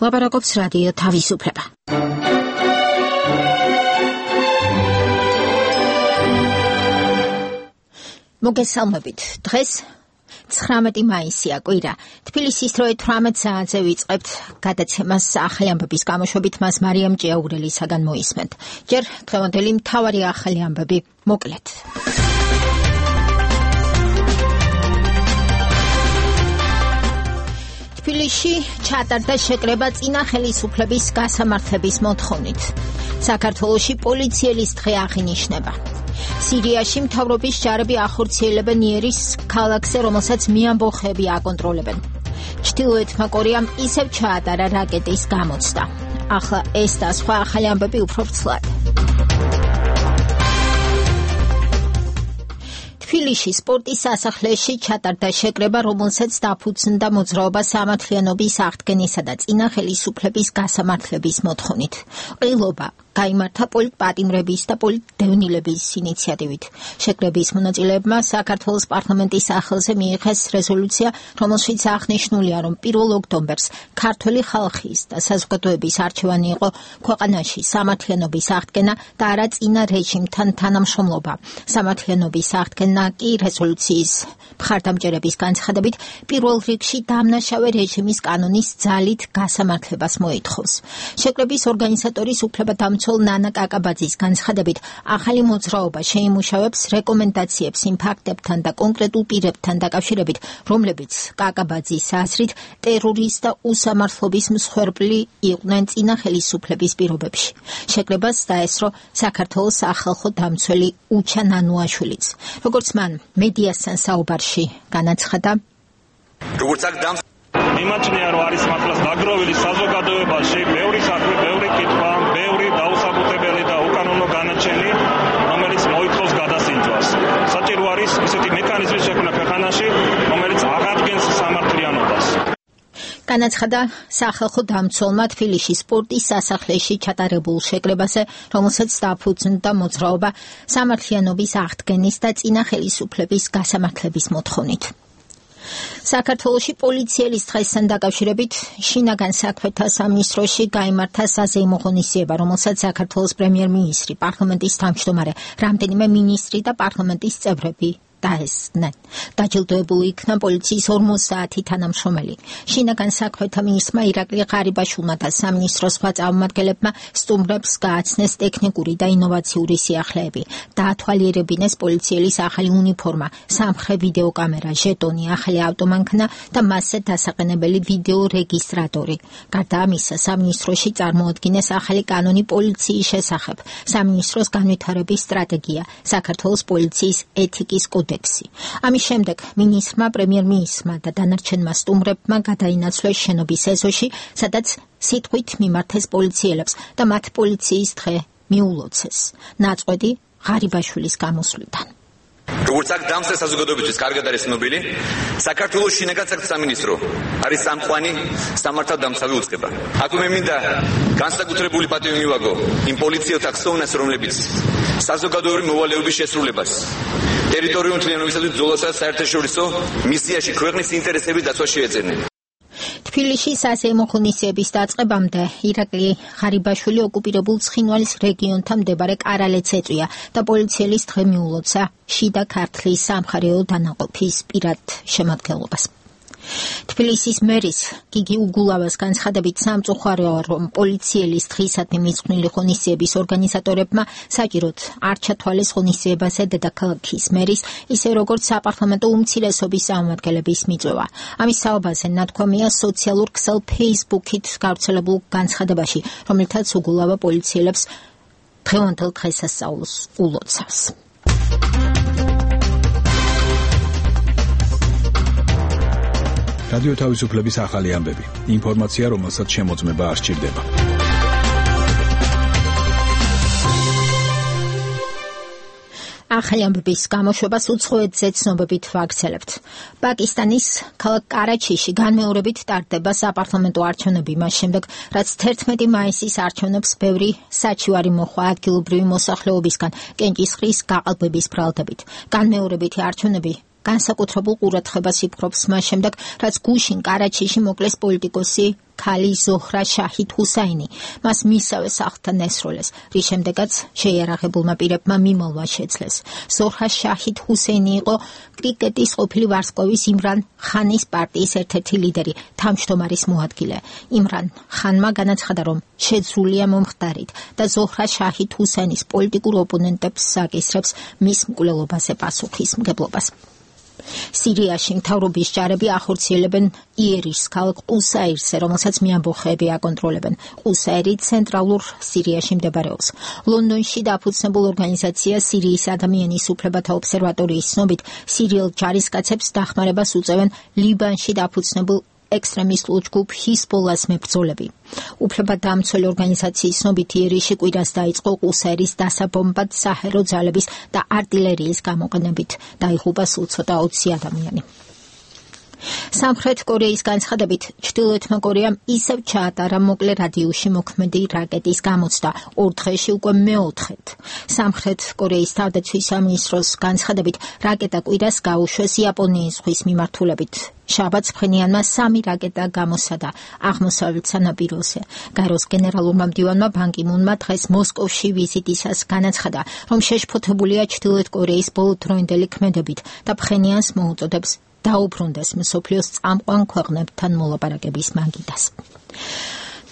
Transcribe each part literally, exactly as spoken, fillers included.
ლაპარაკობს რადიო თავისუფლება. მოგესალმებით. დღეს ცხრამეტი მაისია, კვირა. თბილისის დროით თვრამეტ საათზე ვიწყებთ გადაცემას ახალი ამბების გამოშვებით, მას მარიამ ჭიაურელისაგან მოისმენთ. ჯერ დღევანდელი მთავარი ახალი ამბები მოკლედ. თბილისში ჩატარდა შეკრება წინა ხელისუფლების გასამართლების მოთხოვნით. საქართველოში პოლიციელის დღე აღინიშნება. სირიაში მთავრობის ჯარები ახორციელებენ იერის ქალაქზე, რომელსაც მეამბოხები აკონტროლებენ. ჩრდილოეთმა კორეამ ისევ ჩაატარა რაკეტის გამოცდა. ახლა ეს და სხვა ახალი ამბები უფრო ვრცლად. თბილისში სპორტის სასახლეში ჩატარდა შეკრება, რომელსაც დაფუძნდა მოძრაობა სამართლიანობის აღდგენისა და წინა ხელისუფლების გასამართლების მოთხოვნით. ყრილობა გაიმართა პოლიტპატიმრების და პოლიტდევნილების ინიციატივით. შეკრების მონაწილეებმა საქართველოს პარლამენტის სახელზე მიიღეს რეზოლუცია, რომელშიც აღნიშნულია, რომ პირველ ოქტომბერს ქართველი ხალხის და საზოგადოების არჩევანი იყო ქვეყანაში სამართლიანობის აღდგენა და არა წინა რეჟიმთან თანამშრომლობა. სამართლიანობის აღდგენა კი რეზოლუციის მხარდამჭერების განცხადებით პირველ რიგში დამნაშავე რეჟიმის კანონის ძალით გასამართლებას მოითხოვს. შეკრების ორგანიზატორის უფლებადამცველ ნანა კაკაბაძის განცხადებით, ახალი მოძრაობა შეიმუშავებს რეკომენდაციებს იმ ფაქტებთან და კონკრეტულ პირებთან დაკავშირებით, რომლებიც კაკაბაძის აზრით ტერორის და უსამართლობის მსხვერპლი იყვნენ წინა ხელისუფლების პირობებში. შეკრებას დაესწრო საქართველოს სახალხო დამცველი უჩა ნანუაშვილიც. როგორც მან მედიასთან საუბარში განაცხადა, როგორც აქ დამ მიმაჩნია, რომ არის მართლაც დაგროვილი საზოგადოებაში ბევრი საქმე, ბევრი კითხვა, ბევრი დაუსაბუთებელი და უკანონო განაჩენი, რომელიც მოითხოვს გადასინჯვას. საჭირო არის ისეთი მექანიზმის შექმნა ქვეყანაში, რომელიც აღადგენს სამართლიანობას. განაცხადა სახალხო დამცველმა თბილისში სპორტის სასახლეში ჩატარებულ შეკრებაზე, რომელსაც დაფუძნდა მოძრაობა სამართლიანობის აღდგენის და წინა ხელისუფლების გასამართლების მოთხოვნით. საქართველოში პოლიციელის დღესთან დაკავშირებით შინაგან საქმეთა სამინისტროში გაიმართა საზეიმო ღონისძიება, რომელსაც საქართველოს პრემიერ-მინისტრი, პარლამენტის თავმჯდომარე, რამდენიმე მინისტრი და პარლამენტის წევრები დაესწრნენ. დაჯილდოებული იქნა პოლიციის ორმოცდაათი თანამშრომელი. შინაგან საქმეთა მინისტრმა ირაკლი ღარიბაშვილმა და სამინისტროს სხვა წარმომადგენლებმა სტუმრებს გააცნეს ტექნიკური და ინოვაციური სიახლეები. დაათვალიერებინეს პოლიციელის ახალი უნიფორმა, სამხრე ვიდეოკამერა, ჟეტონი, ახალი ავტომანქანა და მასზე დასაყენებელი ვიდეო რეგისტრატორი. გარდა ამისა, სამინისტროში წარმოადგინეს ახალი კანონი პოლიციის შესახებ, სამინისტროს განვითარების სტრატეგია, საქართველოს პოლიციის ეთიკის კოდექსი. ამის შემდეგ მინისტრმა, პრემიერ-მინისტრმა და დანარჩენმა სტუმრებმა გადაინაცვლეს შენობის ეზოში, სადაც სიტყვით მიმართეს პოლიციელებს და მათ პოლიციის დღე მიულოცეს. ნაწყვეტი ღარიბაშვილის გამოსვლიდან. როგორც აქ დამსწრე საზოგადოებისთვის კარგად არის ცნობილი, საქართველოს შინაგან საქმეთა სამინისტრო არის სამყვანი სამართალდამცავი უწყება. აქ მე მინდა განსაკუთრებული პატივი მივაგო იმ პოლიციელთა ხსოვნას, რომლებიც საზოგადოებრივი მოვალეობის შესრულებას, ტერიტორიული მთლიანობისათვის ბრძოლასა და საერთაშორისო მისიაში ქვეყნის ინტერესების დაცვას შეეწირნენ. თბილისში საზეიმო ღონისძიების დაწყებამდე ირაკლი ღარიბაშვილი ოკუპირებულ ცხინვალის რეგიონთან მდებარე კარალეთს ეწვია და პოლიციელის დღე მიულოცა შიდა ქართლის სამხარეო დანაყოფის პირად შემადგენლობას. თბილისის მერის გიგი უგულავას განცხადებით, სამწუხაროა, რომ პოლიციელის დღისადმი მიძღვნილი ღონისძიების ორგანიზატორებმა საჭიროდ არ ჩათვალეს ღონისძიებაზე დედაქალაქის მერის, ისე როგორც საპარლამენტო უმცირესობის წარმომადგენლების მიწვევა. ამის საუბარზე ნათქვამია სოციალურ ქსელ Facebook-ით გავრცელებულ განცხადებაში, რომელთაც უგულავა პოლიციელებს დღევანდელ დღესასწაულს ულოცავს. რადიო თავისუფლების ახალი ამბები. ინფორმაცია, რომელსაც შემოწმება არ სჭირდება. ახალი ამბების გამოშვებას უცხოეთზე ცნობებით ვაგრძელებთ. პაკისტანის ქალაქ კარაჩიში განმეორებით ტარდება საპარლამენტო არჩევნები მას შემდეგ, რაც თერთმეტი მაისის არჩევნებს ბევრი საჩივარი მოხვა ადგილობრივი მოსახლეობისგან კენჭისყრის გაყალბების ბრალდებით. განმეორებითი არჩევნები განსაკუთრებულ ყურადღებას იპყრობს მას შემდეგ, რაც გუშინ კარაჩიში მოკლეს პოლიტიკოსი ქალი ზოჰრა შაჰიდ ჰუსაინი. მას მისავე სახლთან ესროლეს, რის შემდეგაც შეიარაღებულმა პირებმა მიმალვა შეძლეს. ზოჰრა შაჰიდ ჰუსეინი იყო კრიკეტის ყოფილი ვარსკვლავის იმრან ხანის პარტიის ერთ-ერთი ლიდერი, თავმჯდომარის მოადგილე. იმრან ხანმა განაცხადა, რომ შეძრულია მომხდარით და ზოჰრა შაჰიდ ჰუსეინის პოლიტიკურ ოპონენტებს საკისრებს მის მკვლელობაზე პასუხისმგებლობას. სირიაში მთავრობის ჯარები ახორციელებენ იერიშს ქალაქ ყუსაირზე, რომელსაც მეამბოხეები აკონტროლებენ. ყუსაირი ცენტრალურ სირიაში მდებარეობს. ლონდონში დაფუძნებულ ორგანიზაცია სირიის ადამიანის უფლებათა ობსერვატორიის ცნობით, სირიელ ჯარისკაცებს დახმარებას უწევენ ლიბანში დაფუძნებულ ექსტრემისტულ ჯგუფ ჰიზბოლას მებრძოლები. უფლებადამცველი ორგანიზაციის ცნობით, იერიში კვირას დაიწყო ყუსაირის დასაბომბად საჰერო ძალების და артиლერიის გამოყენებით. დაიღუპა სულ ცოტა ოცი ადამიანი. სამხრეთ კორეის განცხადებით, ჩრდილოეთმა კორეამ ისევ ჩაატარა მოკლე რადიუსში მოქმედი რაკეტის გამოცდა, ორ დღეში უკვე მეოთხედ. სამხრეთ კორეის თავდაცვის სამინისტროს განცხადებით, რაკეტა კვირას გაუშვეს იაპონიის ზღვის მიმართულებით. შაბათს ფხენიანმა სამი რაკეტა გამოსადა აღმოსავლეთ სანაპიროზე. გაეროს გენერალურმა მდივანმა ბან კი მუნმა დღეს მოსკოვში ვიზიტისას განაცხადა, რომ შეშფოთებულია ჩრდილოეთ კორეის ბოლოდროინდელი ქმედებით და ფხენიანს მოუწოდებს დაუბრუნდეს მსოფლიოს წამყვან ქვეყნებთან მოლაპარაკების მაგიდას.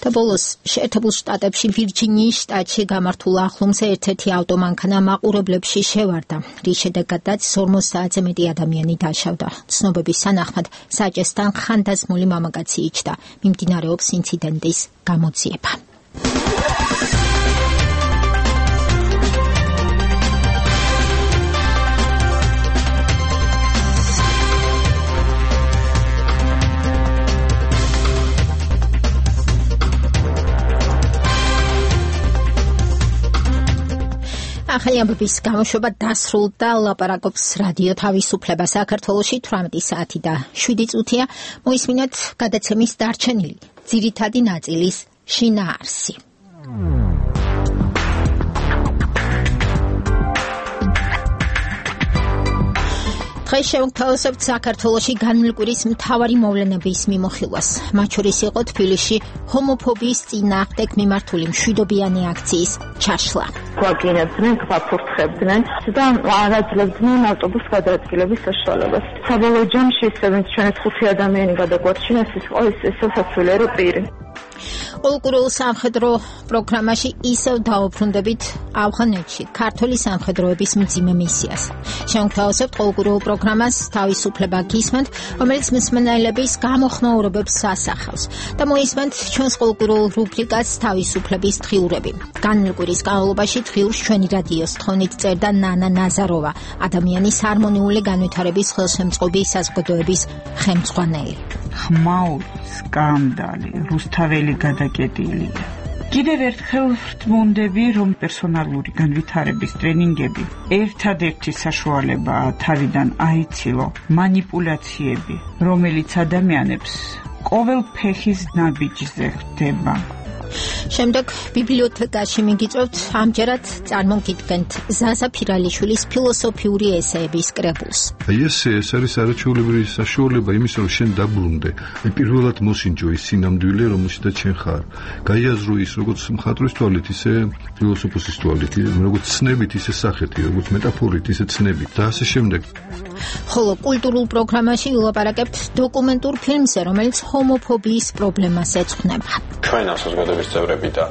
და ბოლოს შეერთებულ შტატებში ვირჯინიის შტატში გამართულ ახლომზე ერთ-ერთი ავტომანქანა მაყურებლებში შევარდა, რის შედეგადაც ორმოცდაათზე მეტი ადამიანი დაშავდა. ცნობების თანახმად საჭესთან ხანდაზმული მამაკაცი იჯდა. მიმდინარეობს ინციდენტის გამოძიება. ახალი ამბების გამოშვება დასრულდა. ლაპარაკობს რადიო თავისუფლება. საქართველოში თვრამეტი საათი და შვიდი წუთია. მოისმინოთ გადაცემის დარჩენილი ძირითადი ნაწილის შინაარსი. დღეს შევგთავაზებთ საქართველოში განმლკვირის მთავარი მოვლენების მიმოხილვას. მათ შორის იყო თბილისში ჰომოფობიის წინააღმდეგ მიმართული მშვიდობიანი აქციის ჩაშლა. გვაგინებდნენ, გვაფურთხებდნენ და არაძლებდნენ ავტობუს გადაადგილების საშუალებას. საბოლოო ჯამში ისევ ჩვენს ხუთი ადამიანი გადაგვარჩინეს, ის იყო სასაცილო პირი. პოლკურულ სამხედრო პროგრამაში ისევ დაუბრუნდებით ავღანეთში ქართული სამხედროების მძიმე მისიას. შევგთავაზებთ პოლკურულ პროგრამას თავისუფლება გისმენთ, რომელიც მსმენელების გამოხმაურებებს ასახავს და მოისმენთ ჩვენს პოლკურულ რუბრიკას თავისუფლების დღიურები. განმლკვირის განმავლობაში დღიურს ჩვენი რადიოს თხოვნით წერდა ნანა ნაზაროვა, ადამიანის ჰარმონიული განვითარების ხელშემწყობი საზოგადოების ხელმძღვანელი. ხმაური, სკანდალი, რუსთაველი გადაკეტილია. კიდევ ერთხელ ვთმუნდები, რომ პერსონალური განვითარების ტრენინგები ერთადერთი საშუალებაა თავიდან აიცილო მანიპულაციები, რომელიც ადამიანებს ყოველ ფეხის ნაბიჯზე ხვდება. შემდეგ ბიბლიოთეკაში მიგიწევთ, ამჯერად წარმოგიდგენთ ზაზა ფირალიშვილის ფილოსოფიური ესეების კრებულს. ესე ეს არის არაჩვეულებრივი საშუალება იმის, რომ შენ დაბრუნდე. პირველად მოსინჯო ის სინამდვილე, რომელშიც შენ ხარ. გაიაზრო ის როგორც მხატვრის თვალით, ისე ფილოსოფოსის თვალით, როგორც ცნებით, ისე სახეთი, როგორც მეტაფორით, ისე ცნებით და ასე შემდეგ. ხოლო კულტურულ პროგრამაში ვილაპარაკებთ დოკუმენტურ ფილმზე, რომელიც ჰომოფობიის პრობლემას ეძღვნება. ჩვენ საზოგადოების წევრები და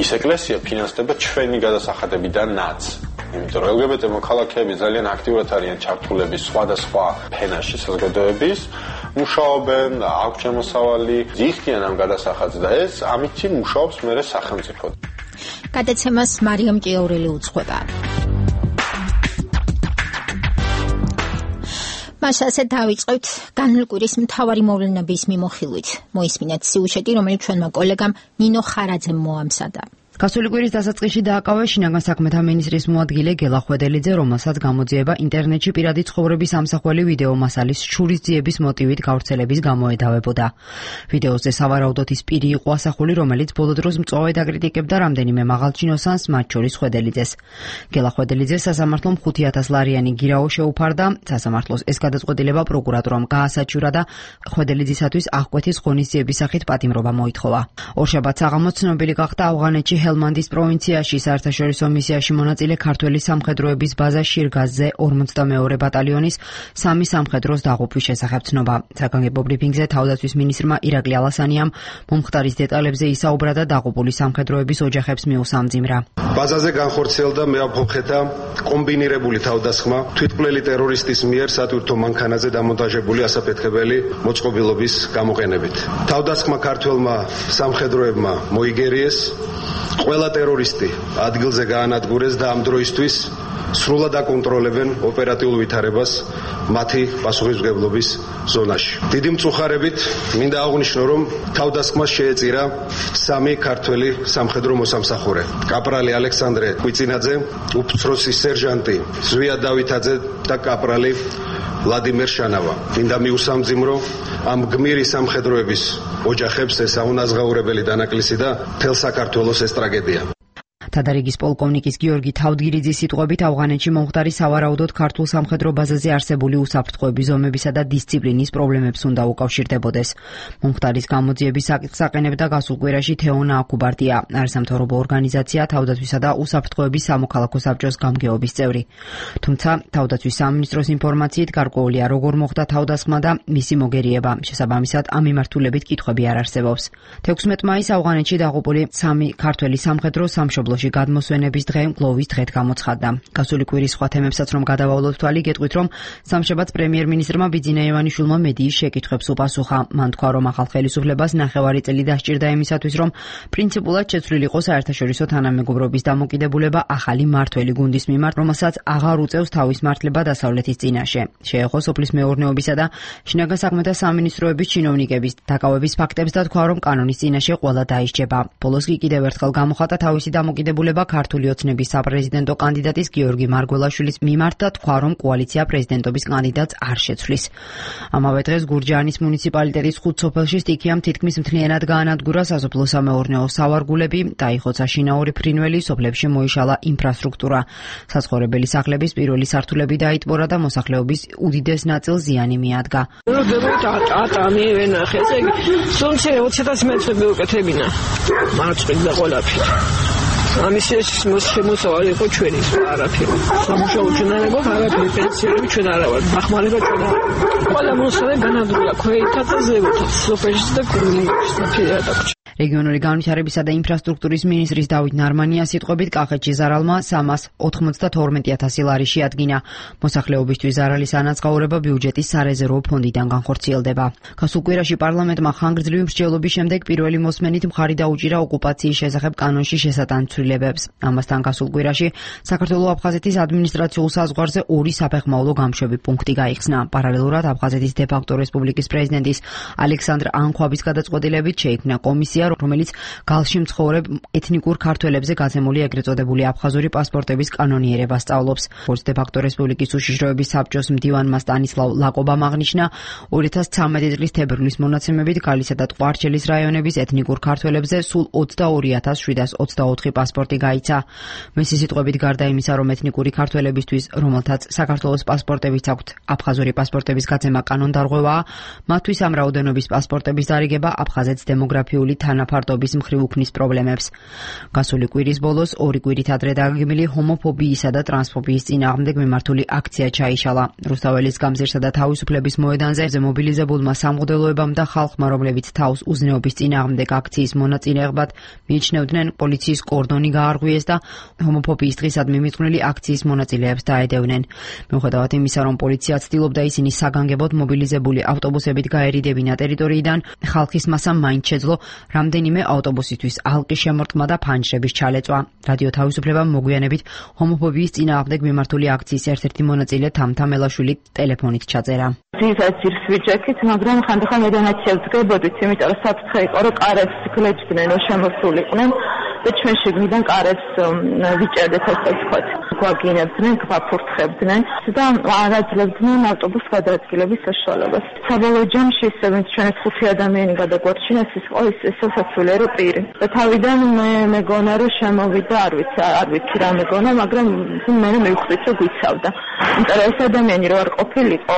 ის ეკლესია ფინანსდება ჩვენი გადასახადებიდანაც. იმიტომ რომ ელ გი ბი ტე მოქალაქეები ძალიან აქტიურად არიან ჩართულები სხვადასხვა ფენაში საზოგადოების, მუშაობენ, აქვს შემოსავალი, ზიხდიან ამ გადასახადს და ეს ამითი მუშაობს მერე სახელმწიფო. გადაცემას მარიამ ჭიაურელი უძღვება. მას ასე დავიწყებთ განმლკვირის მთავარი მოვლენების მიმოხილვით. მოისმინეთ სიუჟეტი, რომელიც ჩვენმა კოლეგამ ნინო ხარაძემ მოამზადა. გასული კვირის დასაწყისში დააკავეს შინაგან საქმეთა მინისტრის მოადგილე გელა ხვედელიძე, რომელსაც გამოძიება ინტერნეტში პირადი ცხოვრების ამსახველი ვიდეო მასალის შურისძიების მოტივით გავრცელების გამოედავებოდა. ვიდეოზე სავარაუდოდ ის პირი იყო ასახული, რომელიც ბოლო დროს მწვავედ აკრიტიკებდა რამდენიმე მაღალჩინოსანს, მათ შორის ხვედელიძეს. გელა ხვედელიძეს სასამართლომ ხუთი ათას ლარიანი გირაო შეუფარდა. სასამართლოს ეს გადაწყვეტილება პროკურატურამ გაასაჩივრა და ხვედელიძისათვის აღკვეთის ღონისძიების სახით პატიმრობა მოითხოვა. ორშაბათს აღამოც ცნობილი გახდა ავღანეთში ჰელმანდის პროვინციაში საერთაშორისო მისიაში მონაწილე ქართველი სამხედროების ბაზა შირგაზზე ორმოცდამეორე ბატალიონის სამი სამხედროს დაღუპვის შესახებ ცნობა. საგანგებო ბრიფინგზე თავდაცვის მინისტრმა ირაკლი ალასანიამ მომხდარის დეტალებზე ისაუბრა და დაღუპული სამხედროების ოჯახებს მიუსამძიმრა. ბაზაზე განხორციელდა მეაფობხეთა კომბინირებული თავდასხმა თვითმკვლელი ტერორისტის მიერ სატვირთო მანქანაზე დამონტაჟებული ასაფეთქებელი მოწყობილობის გამოყენებით. თავდასხმა ქართველმა სამხედროებმა მოიგერიეს, ყველა ტერორისტი ადგილზე გაანადგურეს და ამ დროისთვის სრულად აკონტროლებენ ოპერატიულ ვითარებას მათი პასუხისმგებლობის ზონაში. დიდი მწუხარებით მინდა აღვნიშნო, რომ თავდასხმას შეეწირა სამი ქართველი სამხედრო მოსამსახურე: კაპრალი ალექსანდრე კვიცინაძე, უფროსი სერჟანტი ზვია დავითაძე და კაპრალი ვლადიმერ შანავა. მინდა მიუსამძიმრო ამ გმირი სამხედროების ოჯახებს ეს აუნაზღაურებელი დანაკლისი და მთელ საქართველოს ეს ტრაგედია. თადარიგის პოლკოვნიკის გიორგი თავდგირიძის სიტყვებით ავღანეთში მომხდარი სავარაუდოდ ქართულ სამხედრო ბაზაზე არსებული უსაფრთხოების ზომებისა და დისციპლინის პრობლემებს უნდა უკავშირდებოდეს. მომხდარის გამოძიების საკითხს აყენებდა გასულ კვირაში თეონა აკუბარტია, არასამთავრობო ორგანიზაცია თავდაცვისა და უსაფრთხოების სამოქალაქო საბჭოს გამგეობის წევრი. თუმცა თავდაცვის სამინისტროს ინფორმაციით გარკვეულია როგორ მოხდა თავდასხმა და მისი მოგერიება. შესაბამისად ამ მიმართულებით კითხვები არ არსებობს. თექვსმეტ მაისს ავღანეთში დაღუპული სამი ქართველი სამხედრო სამშობლოში გადმოსვენების დღე გლოვის დღედ გამოცხადდა. გასული კვირის სხვა თემებსაც რომ გადავავლოთ თვალი, გეტყვით, რომ სამშაბათს პრემიერ-მინისტრმა ბიძინა ივანიშვილმა მედიის შეკითხვებს უპასუხა. მან თქვა, რომ ახალ ხელისუფლებას ნახევარი წელი დასჭირდა იმისათვის, რომ პრინციპულად შეცვლილ იყო საერთაშორისო თანამეგობრობის დამოკიდებულება ახალი მმართველი გუნდის მიმართ, რომელსაც აღარ უწევს თავის მართლება დასავლეთის წინაშე. შეეხო სოფლის მეურნეობისა და შინაგან საქმეთა სამინისტროების ჩინოვნიკების დაკავების ფაქტებს და თქვა, რომ კანონის წინაშე ყველა დაისჯება. ბოლოს კი კიდევ ერთხელ გამოხატა თავისი დამოკიდებულება ქართული ოცნების საპრეზიდენტო კანდიდატის გიორგი მარგველაშვილის მიმართ და თქვა, რომ კოალიცია პრეზიდენტობის კანდიდატს არ შეცვლის. ამავე დღეს გურჯაანის მუნიციპალიტეტის ხუთ სოფელში სტიქიამ თითქმის მთლიანად გაანადგურა სასოფლო-სამეურნეო სავარგულები, დაიხოცა შინაური ფრინველი, სოფლებში მოიშალა ინფრასტრუქტურა. საცხოვრებელი სახლების პირველი სართულები დაიტბორა და მოსახლეობის უდიდეს ნაწილს ზიანი მიადგა. ამის შემოსავალი იყო ჩვენი არაფერი. სამუშაო ჩვენ არ გვაქვს, არაფერი პენსიები ჩვენ არ ვართ, დახმარება ჩვენ არ ვართ. ყველა მოსახლე განადგურა ქვეითაც და ზევოთაც, სოფელში და გურიაში და ფერადაკში. რეგიონული განვითარებისა და ინფრასტრუქტურის მინისტრის დავით ნარმანიას სიტყვებით კახეთში ზარალმა სამას ოცდათორმეტი ათასი ლარი შეადგინა. მოსახლეობისთვის ზარალის ანაზღაურება ბიუჯეტის სარეზერვო ფონდიდან განხორციელდება. გასულ კვირაში პარლამენტმა ხანგრძლივი მსჯელობის შემდეგ პირველი მოსმენით მხარი დაუჭირა ოკუპაციის შესახებ კანონში შესატანცვლილებებს. ამასთან გასულ კვირაში საქართველო-აფხაზეთის ადმინისტრაციულ საზღვარზე ორი საფეხმავლო გამშვები პუნქტი გაიხსნა. პარალელურად აფხაზეთის დე-ფაქტო რესპუბლიკის პრეზიდენტის ალექსანდრ ანხვაბის გადაწყვეტილებით შეიქმნა კომისია, რომელიც გალში მცხოვრებ ეთნიკურ ქართველებზე გაცემული ეგრეთ წოდებული აფხაზური პასპორტების კანონიერებას სწავლობს. როგორც დე-ფაქტო რესპუბლიკის უშიშროების საბჭოს მდივანმა სტანისლავ ლაკობამ აღნიშნა, ორი ათას ცხრამეტი წლის თებერვლის მონაცემებით გალისა და ტყვარჩელის რაიონების ეთნიკურ ქართველებზე სულ ოცდაორი ათას შვიდას ოცდაოთხი პასპორტი გაიცა. მისი სიტყვებით გარდა იმისა, რომ ეთნიკური ქართველებისთვის, რომელთაც საქართველოს პასპორტებიც აქვთ, აფხაზური პასპორტების გაცემა კანონდარღვევაა, მათთვის ამ რაოდენობის პასპორტების დარიგება აფხაზეთს დემოგრაფიული თანაფარდობის მხრივ უქმნის პრობლემებს. გასული კვირის ბოლოს ორი კვირით ადრე დაგეგმილი ჰომოფობიისა და ტრანსფობიის წინააღმდეგ მიმართული აქცია ჩაიშალა. რუსთაველის გამზირსა და თავისუფლების მოედანზე მობილიზებულმა სამღვდელოებამ და ხალხმა, რომლებიც თავს უზნეობის წინააღმდეგ აქციის მონაწილეებად მიიჩნევდნენ, პოლიციის კორდონი გაარღვიეს და ჰომოფობიის დღისადმი მიძღვნილი აქციის მონაწილეებს დაედევნენ. მიუხედავად იმისა, რომ პოლიცია ცდილობდა ისინი საგანგებოდ მობილიზებული ავტობუსებით გაერიდებინა ტერიტორიიდან, ხალხის მასამ მაინც შეძლო რამდენიმე ავტობუსისთვის ალყის შემორტყმა და ფანჯრების ჩალეწვა. რადიო თავისუფლებამ მოგვიანებით ჰომოფობიის წინააღმდეგ მიმართული აქციის ერთ-ერთი მონაწილე თამთა მელაშვილი ტელეფონით ჩაწერა. ძირითადად ძირს ვიჯექით, მაგრამ ხანდახან მედანაცია ვდგებოდით, იმიტომ რომ საფრთხე იყო, რომ კარებს გლეჯდნენ, რომ შემოსულიყვნენ. და ჩვენ შიგნიდან კარებს ვიჭერდეთ, ასე ვთქვათ. გვაგინებდნენ, გვაფურთხებდნენ და არ აძლევდნენ ავტობუს გადაადგილების საშუალებას. საბოლოო ჯამში ისევ ჩვენს ხუთი ადამიანი გადაგვარჩინეს, ის იყო ის სასაცილო პირი. და თავიდან მე მეგონა რომ შემოვიდა, არ ვიცი, არ ვიცი რა მეგონა, მაგრამ მე მივხვდით რომ გვიცავდა. იმიტომ რომ ეს ადამიანი რო არ ყოფილიყო,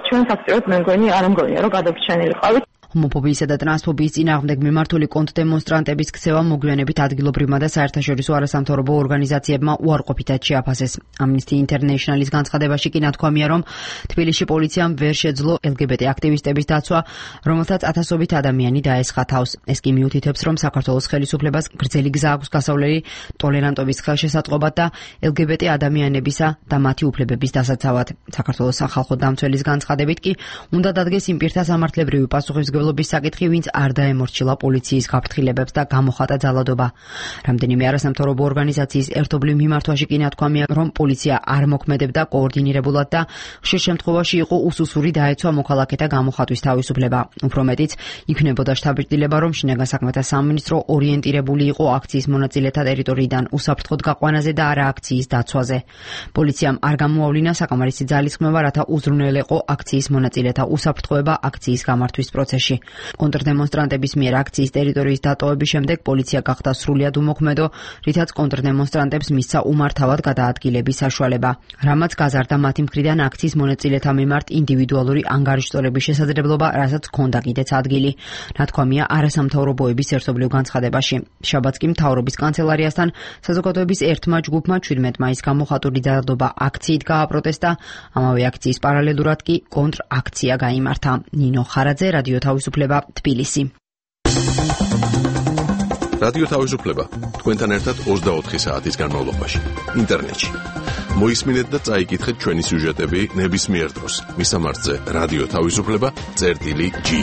ჩვენ ფაქტობრივად მე მგონი არ მგონია რომ გადავრჩენილიყავით. ჰომოფობიისა და ტრანსფობიის წინააღმდეგ მიმართული კონტრდემონსტრანტების ქცევა მოგვიანებით ადგილობრივმა და საერთაშორისო არასამთავრობო ორგანიზაციებმა უარყოფითად შეაფასეს. Amnesty International-ის განცხადებაში კი ნათქვამია, რომ თბილისში პოლიციამ ვერ შეძლო ელ გი ბი ტი აქტივისტების დაცვა, რომელთაც ათასობით ადამიანი დაესხა თავს. ეს კი მიუთითებს, რომ საქართველოს ხელისუფლებას გრძელი გზა აქვს გასავლელი ტოლერანტობის ხელშესაწყობად და ელ გი ბი ტი ადამიანებისა და მათი უფლებების დასაცავად. საქართველოს სახალხო დამცველის განცხადებით კი უნდა დადგეს იმ პირთა სამართლებრივი პასუხისმგებლობა საკითხი, ვინც არ დაემორჩილა პოლიციის გაფრთხილებებს და გამოხატა ძალადობა. რამდენიმე არასამთავრობო ორგანიზაციის ერთობლივ მიმართვაში კი ნათქვამია, რომ პოლიცია არ მოქმედებდა კოორდინირებულად და ხშირ შემთხვევაში იყო უსუსური დაეცვა მოქალაქეთა გამოხატვის თავისუფლება. უფრო მეტიც, იქნებოდა შთაბეჭდილება, რომ შინაგან საქმეთა სამინისტრო ორიენტირებული იყო აქციის მონაწილეთა ტერიტორიიდან უსაფრთხოდ გაყვანაზე და არა აქციის დაცვაზე. პოლიციამ არ გამოავლინა საკამარისი ძალისხმევა, რათა უზრუნველეყო აქციის მონაწილეთა უსაფრთხოება აქციის გამართვის პროცესში. კონტრდემონსტრანტების მიერ აქციის ტერიტორიის დატოვების შემდეგ პოლიცია გახდა სრულიად უმოქმედო, რითაც კონტრდემონსტრანტებს მისცა უმართავად გადაადგილების საშუალება. რამაც გაზარდა მათი მხრიდან აქციის მონაწილეთა მიმართ ინდივიდუალური ანგარიშწორების შესაძლებლობა, რასაც ჰქონდა კიდეც ადგილი. ნათქვამია არასამთავრობოების ერთობლივ განცხადებაში. შაბათს კი მთავრობის კანცელარიასთან საზოგადოების ერთმა ჯგუფმა ჩვიდმეტ მაისს გამოხატული ძალადობა აქციით გააპროტესტა. ამავე აქციის პარალელურად კი კონტრაქცია გაიმართა. ნინო ხარაძე, რადიო თავისუფლება, თბილისი. რადიო თავისუფლება თქვენთან ერთად ოცდაოთხი საათის განმავლობაში ინტერნეტში. მოისმინეთ და წაიკითხეთ ჩვენი სიუჟეტები ნებისმიერ დროს. მისამართზე რადიო თავისუფლება წერტილი ჯი.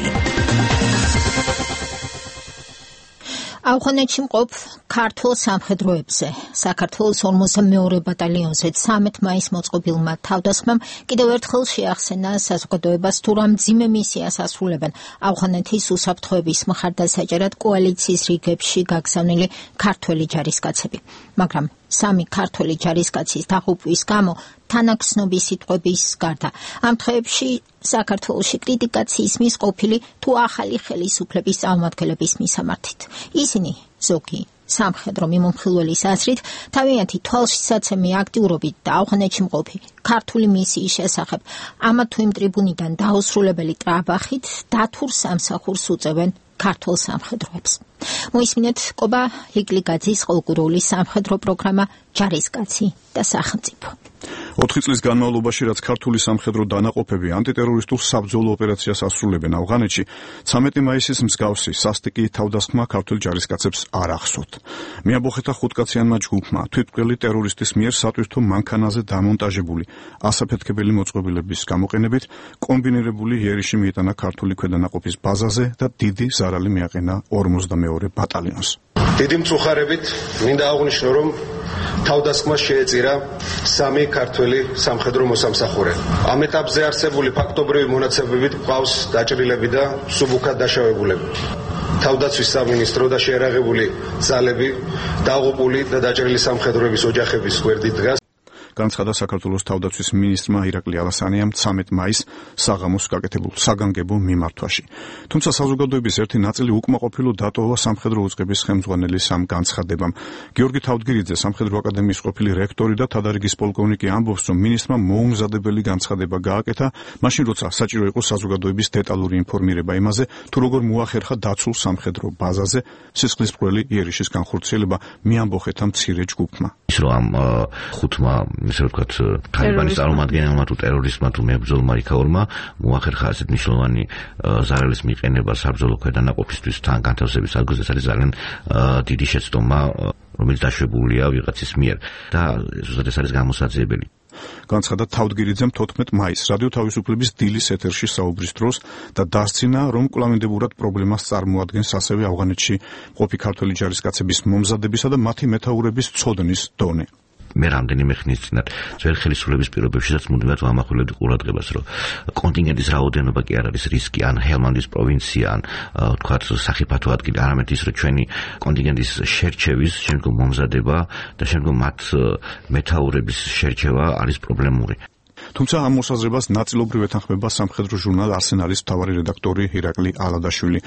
ავღანეთში მყოფ ქართულ სამხედროებზე საქართველოს ორმოცდამეორე ბატალიონზე ცამეტ მაისს მოწყობილმა თავდასხმამ კიდევ ერთხელ შეახსენა საზოგადოებას თუ რა მძიმე მისიას ასრულებენ ავღანეთის უსაფრთხოების მხარდასაჭერად კოალიციის რიგებში გაგზავნილი ქართველი ჯარისკაცები. მაგრამ სამი ქართველი ჯარისკაცის დაღუპვის გამო თანაგრძნობის სიტყვების გარდა ამ დღეებში საქართველოში კრიტიკაც ისმის ყოფილი თუ ახალი ხელისუფლების წარმომადგენლების მისამართით. ისინი ზოგი სამხედრო მიმომხილველის აზრით თავიანთი თვალშისაცემი აქტიურობით და ავღანეთში მყოფი ქართული მისიის შესახებ ამა თუ იმ ტრიბუნიდან დაუსრულებელი ტრაბახით დათურს სამსახურს უწევენ ქართულ სამხედროებს. მოისმინეთ კობა ლიგლიგაძის ყოლგურული სამხედრო პროგრამა ჯარისკაცი და სახელმწიფო. ოთხი წლის განმავლობაში, რაც ქართული სამხედრო დანაყოფები ანტიტერორისტულ საბრძოლო ოპერაციას ასრულებენ ავღანეთში, ცამეტი მაისის მსგავსი სასტიკი თავდასხმა ქართულ ჯარისკაცებს არ ახსოვთ. მიაბოხეთა ხუთკაციანმა ჯგუფმა თვითმკვლელი ტერორისტის მიერ სატვირთო მანქანაზე დამონტაჟებული ასაფეთქებელი მოწყობილების გამოყენებით კომბინირებული იერიში მიიტანა ქართული ქვედანაყოფის ბაზაზე და დიდი ზარალი მიაყენა ორმოცდამეორე ბატალიონს. დიდი მწუხარებით მინდა აღვნიშნო, რომ თავდასხმას შეეწირა სამი ქართველი სამხედრო მოსამსახურე. ამ ეტაპზე არსებული ფაქტობრივი მონაცემებით გვყავს დაჭრილები და სუბუქად დაშავებულები. თავდაცვის სამინისტრო და შეერაღებული ძალები დაღუპული და დაჭრილი სამხედროების ოჯახების გვერდით დგას. განცხადა საქართველოს თავდაცვის მინისტრმა ირაკლი ალასანიამ ცამეტ მაისს საღამოს გაკეთებულ საგანგებო მიმართვაში. თუმცა საზოგადოების ერთი ნაწილი უკმაყოფილო დატოვა სამხედრო უწყების ხელმძღვანელის ამ განცხადებამ. გიორგი თავდგირიძე, სამხედრო აკადემიის ყოფილი რექტორი და თადარიგის პოლკოვნიკი ამბობს, რომ მინისტრმა მოუმზადებელი განცხადება გააკეთა, მაშინ როცა საჭირო იყო საზოგადოების დეტალური ინფორმირება იმაზე, თუ როგორ მოახერხა დაცულ სამხედრო ბაზაზე სისხლისმღვრელი იერიშის განხორციელება მიამბოხეთა მცირე ჯგუფმა. ის რომ ამ ხუთმა ისე ვთქვათ, თალიბანის წარმომადგენელმა თუ ტერორისტმა თუ მებრძოლმა იქაურმა მოახერხა ასეთ მნიშვნელოვანი ზარელის მიყენება საბრძოლო ქვედანაყოფისთვის თან განთავსების ადგილზე. ეს არის ძალიან დიდი შეცდომა, რომელიც დაშვებულია ვიღაცის მიერ და ზუსტად ეს არის გამოსაძიებელი. განცხადა თავდგირიძემ თოთხმეტ მაისს რადიო თავისუფლების დილის ეთერში საუბრის დროს და დასცინა, რომ კვლავინდებურად პრობლემას წარმოადგენს ასევე ავღანეთში მყოფი ქართველი ჯარისკაცების მომზადებისა და მათი მეთაურების ცოდნის დონე. მე რამდენიმე ხნის წინათ ძველი ხელისუფლების პირობებშიც მუდმივად ვამახვილებდი ყურადღებას, რომ კონტინგენტის რაოდენობა კი არ არის რისკი, ან ჰელმანდის პროვინცია, ან თქვათ სახიფათო ადგილი, არამედ ის, რომ ჩვენი კონტინგენტის შერჩევის შემდგომ მომზადება და შემდგომ მათ მეთაურების შერჩევა არის პრობლემური. თუმცა ამ მოსაზრებას ნაწილობრივ ეთანხმება სამხედრო ჟურნალ არსენალის მთავარი რედაქტორი ირაკლი ალადაშვილი.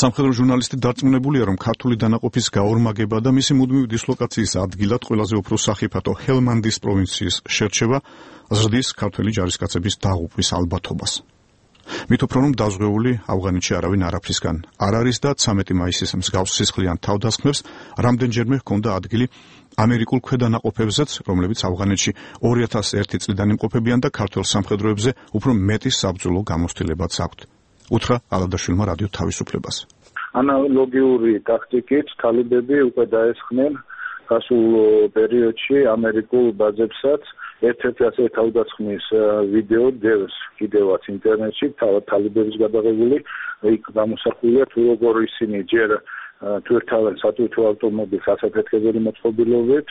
სამხედრო ჟურნალისტი დარწმუნებულია, რომ ქართული დანაყოფის გაორმაგება და მისი მუდმივი დისლოკაციის ადგილად ყველაზე უფრო სახიფათო ჰელმანდის პროვინციის შერჩევა ზრდის ქართველი ჯარისკაცების დაღუპვის ალბათობას. მით უფრო რომ დაზღვეული ავღანეთში არავინ არაფრისგან არ არის და ცამეტი მაისის მსგავს სისხლიან თავდასხმებს რამდენჯერმე ჰქონდა ადგილი ამერიკულ ქვედანაყოფებზეც, რომლებიც ავღანეთში ორი ათას ერთი წლიდან იმყოფებიან და ქართველ სამხედროებზე უფრო მეტი საბრძოლო გამოცდილებაც აქვთ. უთხრა ალადაშვილმა რადიო თავისუფლებას. ანალოგიური ტაქტიკით თალიბები უკვე დაესხნენ გასულ პერიოდში ამერიკულ ბაზებსაც. ერთ-ერთი ასე თავდასხმის ვიდეო დევს კიდევაც ინტერნეტში, თავად თალიბების გადაღებული, იქ გამოსახულია თუ როგორ ისინი ჯერ თუ ერთავენ სატვირთო ავტომობილს ასაფეთქებელი მოწყობილობით,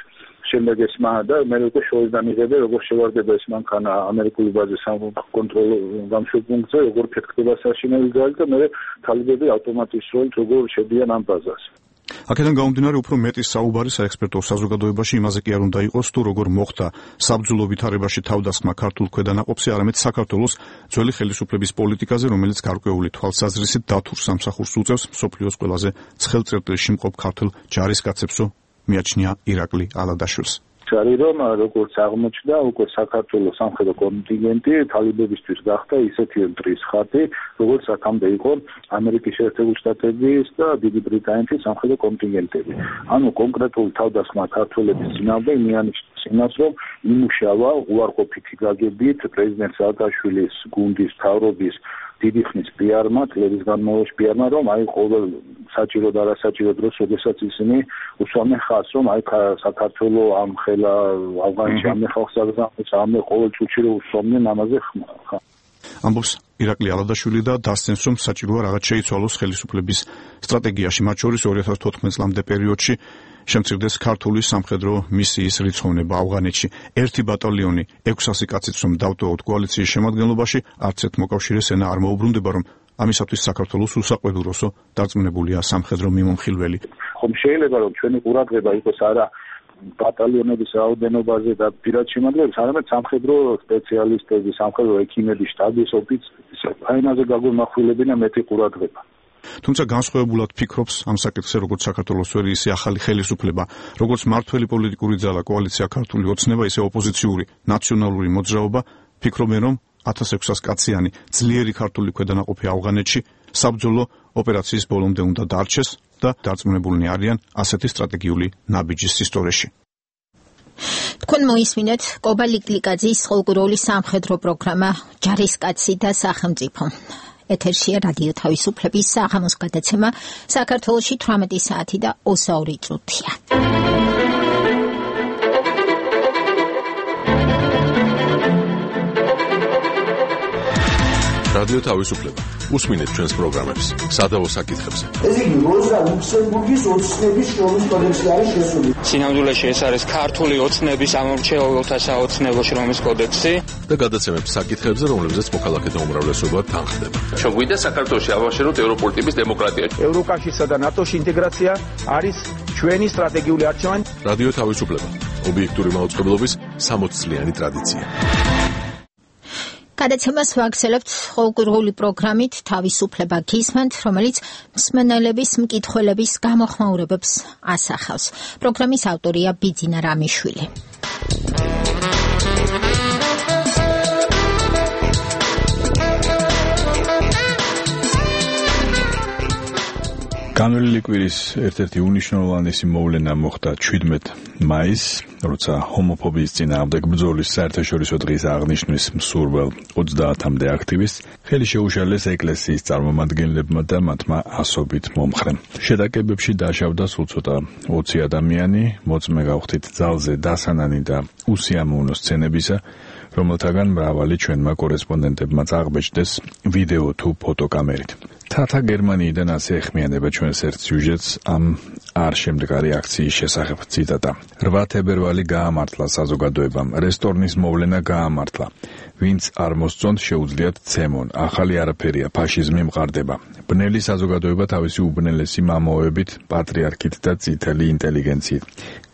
შემდეგ ესმა და მე უკვე შოისგან იღებენ, როგორ შევარდება ეს მანქანა ამერიკული ბაზის საკონტროლო გამშვებ პუნქტზე, როგორ ფეთქდება საშინელი ძალი და მე თალიბები ავტომატისროლით როგორ შედიან ამ ბაზას. აქედან გამომდინარე უფრო მეტი საუბარი საექსპერტო საზოგადოებაში იმაზე კი არ უნდა იყოს, თუ როგორ მოხდა საბრძოლო ვითარებაში თავდასხმა ქართულ ქვედანაყოფზე, არამედ საქართველოს ძველი ხელისუფლების პოლიტიკაზე, რომელიც გარკვეული თვალსაზრისით დათურ სამსახურს უწევს მსოფლიოს ყველაზე ცხელ წერტილში მყოფ ქართულ ჯარისკაცებსო, მიაჩნია ირაკლი ალადაშვილს. არის რომ როგორც აღმოჩნდა, უკვე საქართველოს სამხედრო კონტინგენტი თალიბებისთვის გახდა ისეთი ელტრის ხატი, როგორც აქამდე იყო ამერიკის შეერთებული შტატების და დიდი ბრიტანეთის სამხედრო კონტინგენტები. ანუ კონკრეტული თავდასხმა ქართველების წინააღმდეგ მიანიშნეს იმას, რომ იმუშავა უარყოფითი გაგებით პრეზიდენტ სააკაშვილის გუნდის მთავრობის დიდი ხნის პიარმა, წლების განმავლობაში პიარმა, რომ აი ყოველ საჭირო და არასაჭირო დროს, როდესაც ისინი უსვამენ ხაზს, რომ აი საქართველოს ამ ხელა ავღანეთში ამ ხალხს აგზავნეს, ამ ყოველ წუთში რომ უსვამენ ამაზე ხმა. ამბობს ირაკლი ალადაშვილი და დასცემს, რომ საჭიროა რაღაც შეიცვალოს ხელისუფლების სტრატეგიაში, მათ შორის ორი ათას თოთხმეტ წლამდე პერიოდში შემცირდეს ქართული სამხედრო მისიის რიცხოვნება ავღანეთში. ერთი ბატალიონი ექვსასი კაცით რომ დავტოვოთ კოალიციის შემადგენლობაში, არც ერთ მოკავშირეს ენა არ მოუბრუნდება, რომ ამისათვის საქართველოს უსაყვედუროსო დარწმუნებულია სამხედრო მიმომხილველი. ხომ შეიძლება რომ ჩვენი ყურადღება იყოს არა ბატალიონების რაოდენობაზე და პირად შემადგენლობაზე, არამედ სამხედრო სპეციალისტების, სამხედრო ექიმების, შტაბის ოფიცრების აინაზე გაგვემახვილებინა მეტი ყურადღება. თუმცა განსხვავებულად ფიქრობს ამ საკითხზე როგორც საქართველოს ვერი ისე ახალი ხელისუფლება, როგორც მართველი პოლიტიკური ძალა კოალიცია ქართული ოცნება, ისე ოპოზიციური ნაციონალური მოძრაობა, ფიქრობენ რომ ათას ექვსას კაციანი ძლიერი ქართული ქვედანაყოფი ავღანეთში საბრძოლო ოპერაციის ბოლომდე უნდა დარჩეს და დარწმუნებულნი არიან ასეთი სტრატეგიული ნაბიჯის ისტორიაში. თქვენ მოისმინეთ კობა ლიკლიკაძის ყოველკვირეული სამხედრო პროგრამა ჯარისკაცი და სახელმწიფო. ეთერშია რადიო თავისუფლების საღამოს გადაცემა საქართველოში თვრამეტი საათი და ოცდაორი წუთია. რადიო თავისუფლება. უსმინეთ ჩვენს პროგრამებს სადავო საკითხებზე. ეს იგი როზა ლუქსემბურგის ოცნების შრომის კოდექსი არის შესული. სინამდვილეში ეს არის ქართული ოცნების ამორჩეულთა საოცნებო შრომის კოდექსი და გადაცემებს საკითხებზე, რომლებზეც მოქალაქეთა უმრავლესობა თანხდება. ჩვენ გვინდა საქართველოში ავაშენოთ ევროპული ტიპის დემოკრატია. ევროკავშირსა და ნატოში ინტეგრაცია არის ჩვენი სტრატეგიული არჩევანი. რადიო თავისუფლება. ობიექტური მაუწყებლობის სამოც წლიანი ტრადიცია. გადაცემას ვაგრძელებთ ყოველკვირეული პროგრამით თავისუფლება გისმენთ, რომელიც მსმენელების მკითხველების გამოხმაურებებს ასახავს. პროგრამის ავტორია ბიძინა რამიშვილი. განვლილი კვირის ერთ-ერთი უნიშნულოვანესი მოვლენა მოხდა შვიდმეტ მაისს, როცა ჰომოფობიის წინააღმდეგ ბრძოლის საერთაშორისო დღის აღნიშვნის მსურველ ოცდაათამდე აქტივისტს ხელი შეუშალეს ეკლესიის წარმომადგენლებმა და მათმა ასობით მომხრემ. შეტაკებებში დაშავდა სულ ცოტა ოცი ადამიანი, მოწმე გავხდით ძალზე დასანანი და უსიამოვნო სცენებისა, რომელთაგან მრავალი ჩვენმა კორესპონდენტებმაც აღბეჭდეს ვიდეო თუ ფოტოკამერით. თათა გერმანიიდან ასე ეხმიანება ჩვენს ერთ სიუჟეტს ამ არ შემდგარი აქციის შესახებ. ციტატა: რვა თებერვალი გაამართლა საზოგადოებამ, რესტორნის მოვლენა გაამართლა. ვინც არ მოსწონთ შეუძლიათ ცემონ. ახალი არაფერია, ფაშიზმი მყარდება. ბნელი საზოგადოება თავისი უბნელესი მამოებით, პატრიარქით და წითელი ინტელიგენციით.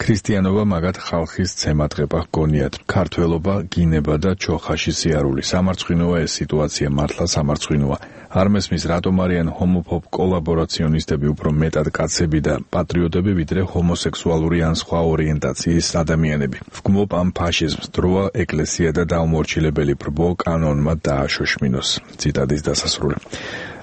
ქრისტიანობა მაგათ ხალხის ცემატყება ჰგონიათ. ქართველობა, გინება და ჩოხაში სიარული. სამარცხვინოა ეს სიტუაცია, მართლა სამარცხვინოა. არ მესმის რატომ არიან ჰომოფობ კოლაბორაციონისტები უფრო მეტად კაცები და პატრიოტები ვიდრე ჰომოსექსუალური ან სხვა ორიენტაციის ადამიანები. ვგმობ ამ ფაშიზმს, დროა ეკლესია და დაუმორჩილებელი ბრბო კანონმა დააშოშმინოს. ციტატის დასასრული.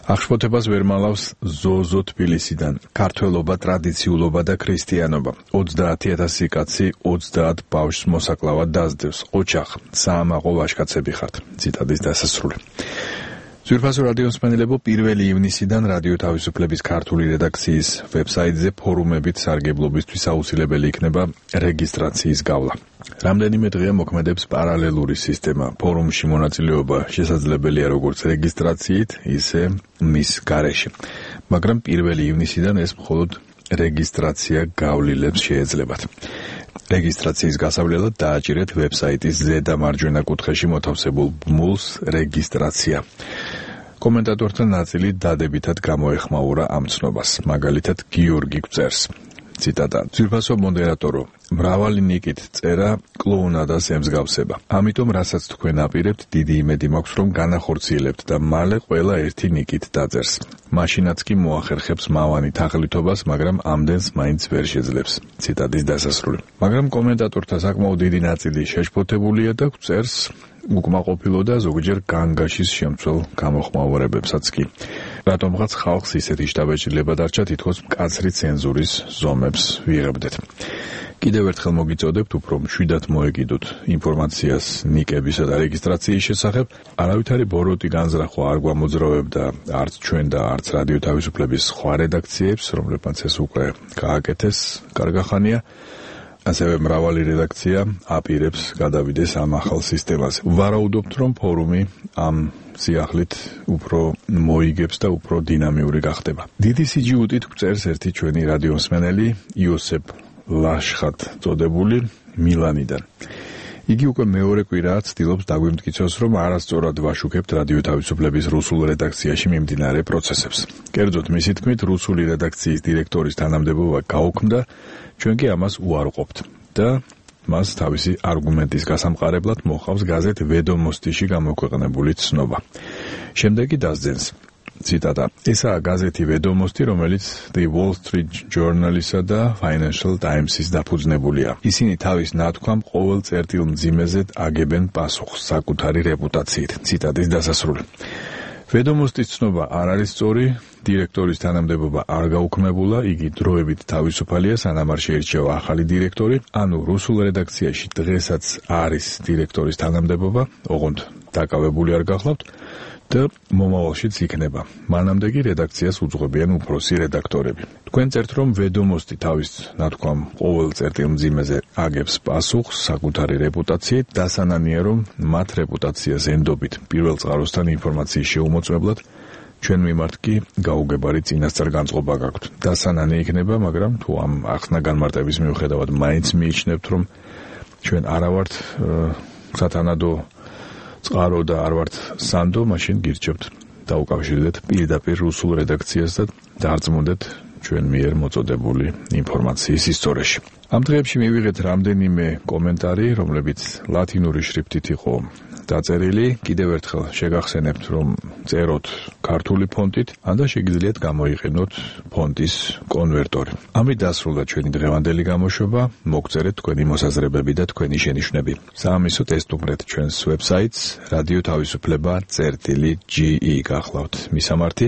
აღშფოთებას ვერ მალავს ზოზო თბილისიდან. ქართველობა, ტრადიციულობა და ქრისტიანობა. ოცდაათი ათასი კაცი ოცდაათ ბავშვს მოსაკლავად დაძდევს. ოჩახ, საამაყო ვაჟკაცები ხართ. ციტატის დასასრული. ძვირფასო რადიოს მსმენელებო, პირველი ივნისიდან რადიო თავისუფლების ქართული რედაქციის ვებსაიტზე ფორუმებით სარგებლობისთვის აუცილებელი იქნება რეგისტრაციის გავლა. რამდენიმე დღეა მოქმედებს პარალელური სისტემა. ფორუმში მონაწილეობა შესაძლებელია როგორც რეგისტრაციით, ისე მის გარეშე. მაგრამ პირველი ივნისიდან ეს მხოლოდ რეგისტრაცია გავლილებს შეეძლებათ. რეგისტრაციის გასავლელად დააჭირეთ ვებსაიტის ზედა მარჯვენა კუთხეში მოთავსებულ ბმულს რეგისტრაცია. კომენტატორთა ნაწილი დადებითად გამოეხმაურა ამ ცნობას. მაგალითად, გიორგი გვწერს. ციტატა: ძვირფასო მოდერატორო, მრავალი ნიკით წერა კლოუნადას ემსგავსება. ამიტომ რასაც თქვენ აპირებთ, დიდი იმედი მაქვს, რომ განახორციელებთ და მალე ყველა ერთი ნიკით დაწერს. მაშინაც კი მოახერხებს მავანი თაღლითობას, მაგრამ ამდენს მაინც ვერ შეძლებს. ციტატის დასასრული. მაგრამ კომენტატორთა საკმაოდ დიდი ნაწილი შეშფოთებულია და გვწერს უკმაყოფილო და ზოგჯერ განგაშის შემცველ გამოხმაურებებსაც კი. რატომღაც ხალხს ისეთი შთაბეჭდილება დარჩა, თითქოს მკაცრი ცენზურის ზომებს ვიღებდეთ. კიდევ ერთხელ მოგიწოდებთ, უფრო მშვიდად მოეკიდოთ ინფორმაციას ნიკებისა და რეგისტრაციის შესახებ. არავითარი ბოროტი განზრახვა არ გვამოძრავებდა არც ჩვენ და არც რადიო თავისუფლების სხვა რედაქციებს, რომლებმაც ეს უკვე გააკეთეს კარგახანია. ასევე მრავალი რედაქცია აპირებს გადავიდეს ამ ახალ სისტემაზე. ვარაუდობთ, რომ ფორუმი ამ სიახლით უფრო მოიგებს და უფრო დინამიური გახდება. დიდი სიჯიუტით გვწერს ერთი ჩვენი რადიო მსმენელი, იოსებ ლაშხად წოდებული მილანიდან. იგი უკვე მეორე კვირაა ცდილობს დაგვიმტკიცოს, რომ არასწორად ვაშუქებთ რადიო თავისუფლების რუსულ რედაქციაში მიმდინარე პროცესებს. კერძოდ, მისი თქმით, რუსული რედაქციის დირექტორის თანამდებობა გაუქმდა, ჩვენ კი ამას უარყოფთ და მას თავისი არგუმენტის გასამყარებლად მოხავს გაზეთ ვედომოსტიში გამოქვეყნებული ცნობა. შემდეგ კი დასძენს. ციტატა: ესაა გაზეთი ვედომოსტი, რომელიც The Wall Street Journal-ისა და Financial Times-ის დაფუძნებულია. ისინი თავის ნათქვამ ყოველ წერტილ მძიმეზე აგებენ პასუხს საკუთარი რეპუტაციით. ციტატის დასასრული. ვედომოსტის ცნობა არ არის სწორი, დირექტორის თანამდებობა არ გაუქმებულა, იგი დროებით თავისუფალია, სანამ არ შეირჩევა ახალი დირექტორი, ანუ რუსულ რედაქციაში დღესაც არის დირექტორის თანამდებობა, ოღონდ დაკავებული არ გახლავთ და მომავალშიც იქნება. მანამდე კი რედაქციას უძღვებიან უფროსი რედაქტორები. თქვენ წერთ, რომ ვედომოსტი თავის ნათქვამ ყოველ წერტილ მძიმეზე აგებს პასუხს საკუთარი რეპუტაციით, დასანანია, რომ მათ რეპუტაციას ენდობით პირველ წყაროსთან ინფორმაციის შეუმოწმებლად, ჩვენ მიმართ კი გაუგებარი წინასწარ განწყობა გაქვთ. დასანანი იქნება, მაგრამ თუ ამ ახსნა განმარტების მიუხედავად მაინც მიიჩნევთ, რომ ჩვენ არა ვართ სათანადო წყარო და არ ვართ სანდო, მაშინ გირჩევთ დაუკავშირდეთ პირდაპირ რუსულ რედაქციას და დარწმუნდეთ ჩვენ მიერ მოწოდებული ინფორმაციის ისტორიაში. ამ დღეებში მივიღეთ რამდენიმე კომენტარი, რომლებიც ლათინური შრიფტით იყო დაწერილი. კიდევ ერთხელ შეგახსენებთ, რომ წეროთ ქართული ფონტით, ან და შეგიძლიათ გამოიყენოთ ფონტის კონვერტორი. ამით დასრულდა ჩვენი დღევანდელი გამოშვება. მოგწერეთ თქვენი მოსაზრებები და თქვენი შენიშვნები. საამისოდ ესტუმრეთ ჩვენს ვებსაიტს რადიო თავისუფლება წერტილი ჯი ი გახლავთ მისამართი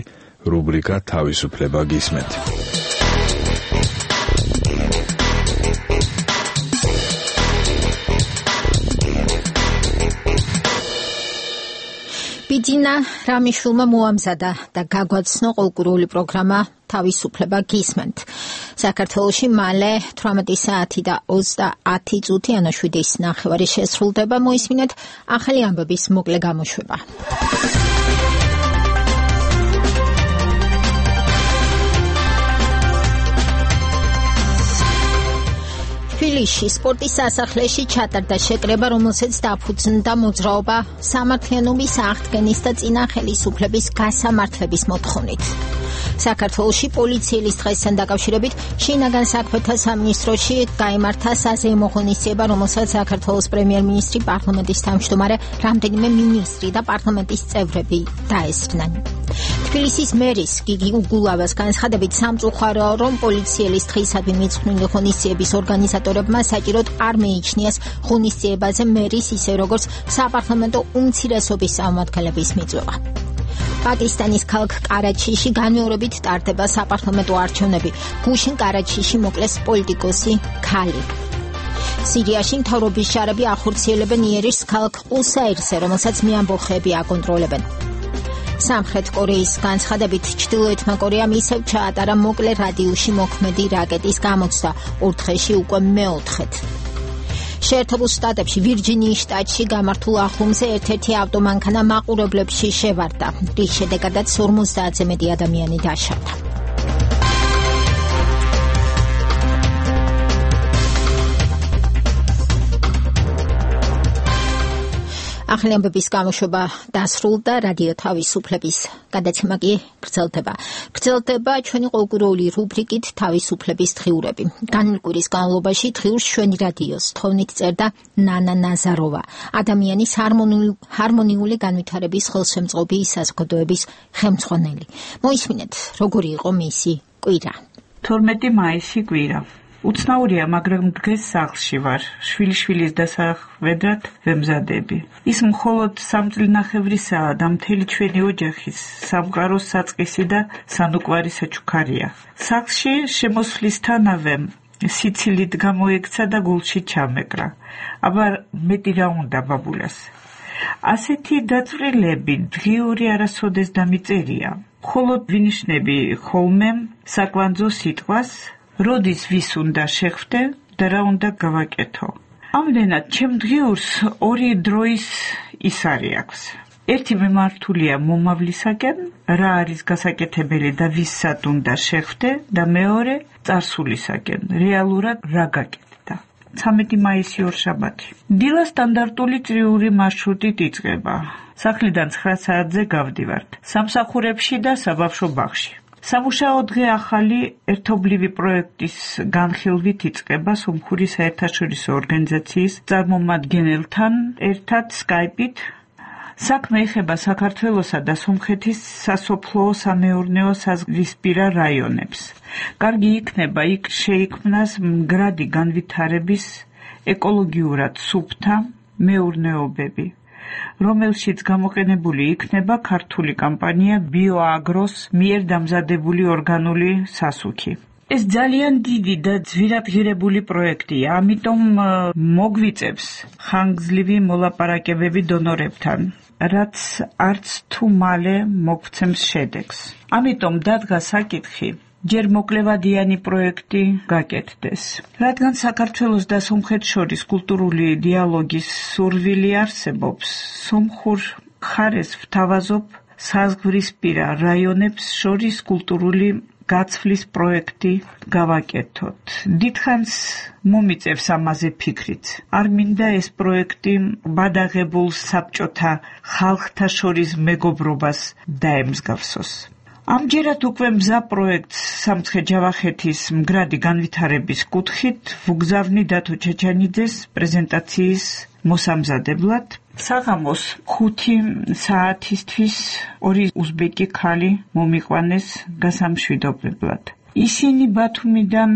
რუბრიკა თავისუფლება გისმენთ. ბიძინა რამიშვილმა მოამზადა და გაგვაცნო ყოლკურული პროგრამა თავისუფლება გისმენთ. საქართველოში მალე თვრამეტი საათი და ოცდაათი წუთი ანუ შვიდის ნახევარი შესრულდება. მოისმინეთ ახალი ამბების მოკლე გამოშვება. თბილისში სპორტის სასახლეში ჩატარდა შეკრება, რომელსაც დაფუძნდა მოძრაობა სამართლიანობის აღდგენის და წინა ხელისუფლების გასამართლების მოთხოვნით. საქართველოში პოლიციელის დღესთან დაკავშირებით შინაგან საქმეთა სამინისტროში გაიმართა საზეიმო ღონისძიება, რომელსაც საქართველოს პრემიერ-მინისტრი, პარლამენტის თავმჯდომარე, რამდენიმე მინისტრი და პარლამენტის წევრები დაესწრნენ. თბილისის მერის გიგი უგულავას განცხადებით სამწუხაროა, რომ პოლიციელის დღისადმი მიძღვნილი ღონისძიების ორგანიზატორებმა საჭიროდ არ მეიჩნიეს ღონისძიებაზე მერის ისე როგორც საპარლამენტო უმცირესობის წარმომადგენლების მიწვევა. პაკისტანის ქალაქ კარაჩიში განმეორებით ტარდება საპარლამენტო არჩევნები. გუშინ კარაჩიში მოკლეს პოლიტიკოსი ქალი. სირიაში მთავრობის შარები ახორციელებენ იერიშს ქალაქ ყუსაირზე, რომელსაც მეამბოხეები აკონტროლებენ. სამხრეთ კორეის განცხადებით ჩრდილოეთმა კორეამ ისევ ჩაატარა მოკლე რადიუსში მოქმედი რაკეტის გამოცდა ორ დღეში უკვე მეოთხედ. შეერთებულ შტატებში ვირჯინიის შტატში გამართულ ახლომზე ერთ-ერთი ავტომანქანა მაყურებლებში შევარდა, რის შედეგადაც ორმოცდაათზე მეტი ადამიანი დაშავდა. ახალი ამბების გამოშვება დასრულდა, რადიო თავისუფლების გადაცემა კი გრძელდება. გრძელდება ჩვენი ყოველკვირეული რუბრიკით თავისუფლების დღიურები. განვლილი კვირის განმავლობაში დღიურს ჩვენი რადიოს თოვნით წერდა ნანა ნაზაროვა, ადამიანის ჰარმონიული განვითარების ხელშემწყობი საზოგადოების ხელმძღვანელი. მოისმინეთ, როგორი იყო მისი კვირა. თორმეტი მაისი კვირა. უცნაურია, მაგრამ დღეს სახლში ვარ. შვილიშვილის დასახვედრად ვემზადები. ის მხოლოდ სამწლინახევრისაა და მთელი ჩვენი ოჯახის სამყაროს საწყისი და სანუკვარი საჩუქარია. სახლში შემოსვლისთანავე სიცილით გამოექცა და გულში ჩამეკრა. აბა მეტი რა უნდა ბაბულას. ასეთი დაწვრილები დღიური არასოდეს დამიწერია. მხოლოდ ვინიშნები ხოლმე საკვანძო სიტყვას, როდის ვის უნდა შეხვდე და რა უნდა გავაკეთო. ამდენად ჩემ დღიურს ორი დროის ისარი აქვს. ერთი მიმართულია მომავლისაკენ, რა არის გასაკეთებელი და ვისაც უნდა შეხვდე, და მეორე წარსულისაკენ, რეალურად რა გაკეთდა. ცამეტი მაისი ორშაბათი. დილა სტანდარტული წრიული მარშრუტით იწყება. სახლიდან ცხრა საათზე გავდივართ. სამსახურებში და საბავშვო ბაღში. სამუშაო დღე ახალი ერთობლივი პროექტის განხილვით იწყება სომხური საერთაშორისო ორგანიზაციის წარმომადგენელთან ერთად სკაიპით. საქმე ეხება საქართველოსა და სომხეთის სასოფლო-სამეურნეო საზღვრისპირა რაიონებს. კარგი იქნება იქ შეიქმნას მდგრადი განვითარების ეკოლოგიურად სუფთა მეურნეობები, რომელშიც გამოყენებული იქნება ქართული კომპანია ბიოაგროს მიერ დამზადებული ორგანული სასუქი. ეს ძალიან დიდი და ძვირადღირებული პროექტია, ამიტომ მოგვიწევს ხანგრძლივი მოლაპარაკებები დონორებთან, რაც არც თუ მალე მოგცემს შედეგს. ამიტომ დადგა საკითხი, ჯერ მოკლევადიანი პროექტი გაკეთდეს. რადგან საქართველოს და სომხეთს შორის კულტურული დიალოგის სურვილი არსებობს, სომხურ მხარეს ვთავაზობ საზღვრისპირა რაიონებს შორის კულტურული გაცვლის პროექტი გავაკეთოთ. დიდხანს მომიწევს ამაზე ფიქრიც. არ მინდა ეს პროექტი ბადაღებულ საბჭოთა ხალხთა შორის მეგობრობას დაემსგავსოს. ამჯერად უკვე მზა პროექტს სამცხე-ჯავახეთის მდგრადი განვითარების კუთხით ვუგზავნი დათო ჩაჩანიძეს პრეზენტაციის მოსამზადებლად. საღამოს ხუთი საათისთვის ორი უზბეკი ქალი მომიყვანეს გასამშვიდობებლად. ისინი ბათუმიდან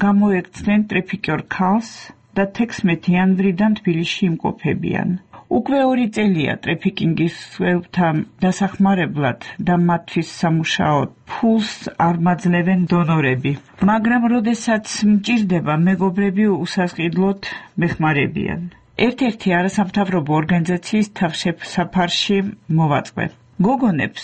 გამოექცნენ ტრეფიკიორ ქალს და თექვსმეტი იანვრიდან თბილისში იმყოფებიან. უკვე ორი წელია ტრეფიკინგის ხმებთან დასახმარებლად და მათთვის სამუშაოდ ფულს არ მაძლევენ დონორები. მაგრამ როდესაც მჭირდება, მეგობრები უსასყიდლოდ მეხმარებიან. ერთ-ერთი არასამთავრობო ორგანიზაციის თავშესაფარში მოვაწყვე. გოგონებს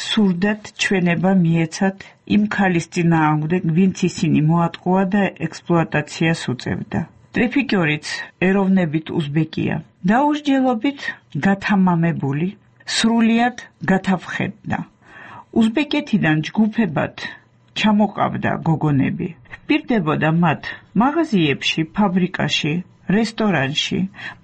სურდათ ჩვენება მიეცათ იმ ქალის წინააღმდეგ, ვინც ისინი მოატყუა და ექსპლუატაციას უწევდა. ტრეფიკიორიც ეროვნებით უზბეკია. დაუსჯელობით გათამამებული, სრულიად გათავხედდა. უზბეკეთიდან ჯგუფებად ჩამოყავდა გოგონები. პირდებოდა მათ მაღაზიებში, ფაბრიკაში, რესტორანში,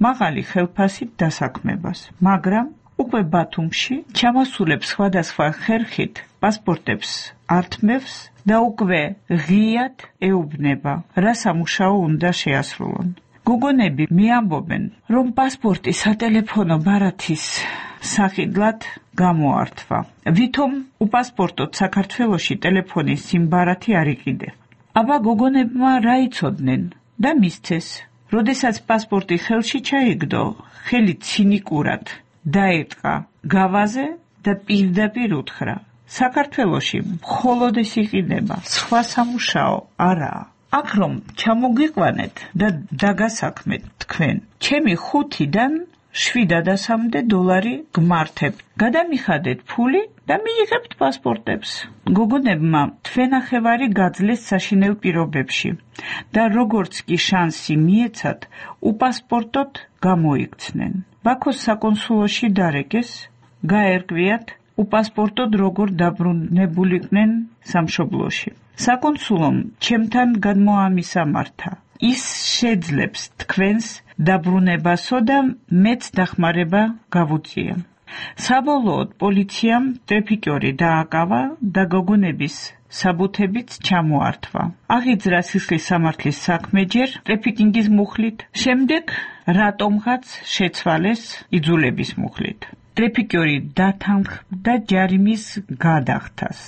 მაღალი ხელფასით დასაქმებას, მაგრამ უკვე ბათუმში ჩამოსულებს სხვადასხვა ხერხით პასპორტებს ართმევს და უკვე ღიად ეუბნება, რა სამუშაო უნდა შეასრულონ. გოგონები მიამბობენ, რომ პასპორტი სატელეფონო ბარათის სახიდლად გამოართვა. ვითომ უპასპორტოდ საქართველოში ტელეფონის სიმ ბარათი არ იყიდე. აბა გოგონებმა რა იცოდნენ და მისცეს. როდესაც პასპორტი ხელში ჩაიგდო, ხელი ცინიკურად დაეტყა გავაზე და პირდაპირ უთხრა: საქართველოში მხოლოდ ეს იყიდება, სხვა სამუშაო არაა. აქ რომ ჩამოგიყვანეთ და დაგასაქმეთ თქვენ, ჩემი ხუთიდან შვიდადასამდე დოლარი გმართებ. გადამიხადეთ ფული და მიიღებთ პასპორტებს. გოგონებმა თვენახევარი გაძლეს საშინელ პირობებში და როგორც კი შანსი მიეცათ, უპასპორტოდ გამოიქცნენ. ბაქოს საკონსულოში დარეკეს, გაერკვიათ, უპასპორტოდ როგორ დაბრუნებულიყვნენ სამშობლოში. საკონსულომ ჩემთან გადმოამისამართა. ის შეძლებს თქვენს დაბრუნებასო და მეც დახმარება გავუწია. საბოლოოდ პოლიციამ ტრეფიკიორი დააკავა და გოგონების საბუთებიც ჩამოართვა. აღიძრა სისხლის სამართლის საქმე ჯერ ტრეფიკინგის მუხლით, შემდეგ რატომღაც შეცვალეს იძულების მუხლით. ტრეფიკიორი დათანხმდა ჯარიმის გადახდას,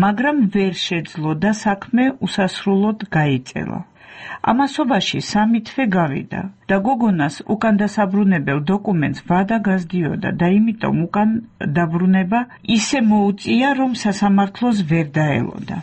მაგრამ ვერ შეძლო და საქმე უსასრულოდ გაიწელა. ამასობაში სამი თვე გავიდა და გოგონას უკან დასაბრუნებელ დოკუმენტს ვადა გასდიოდა და იმიტომ უკან დაბრუნება ისე მოუწია, რომ სასამართლოს ვერ დაელოდა.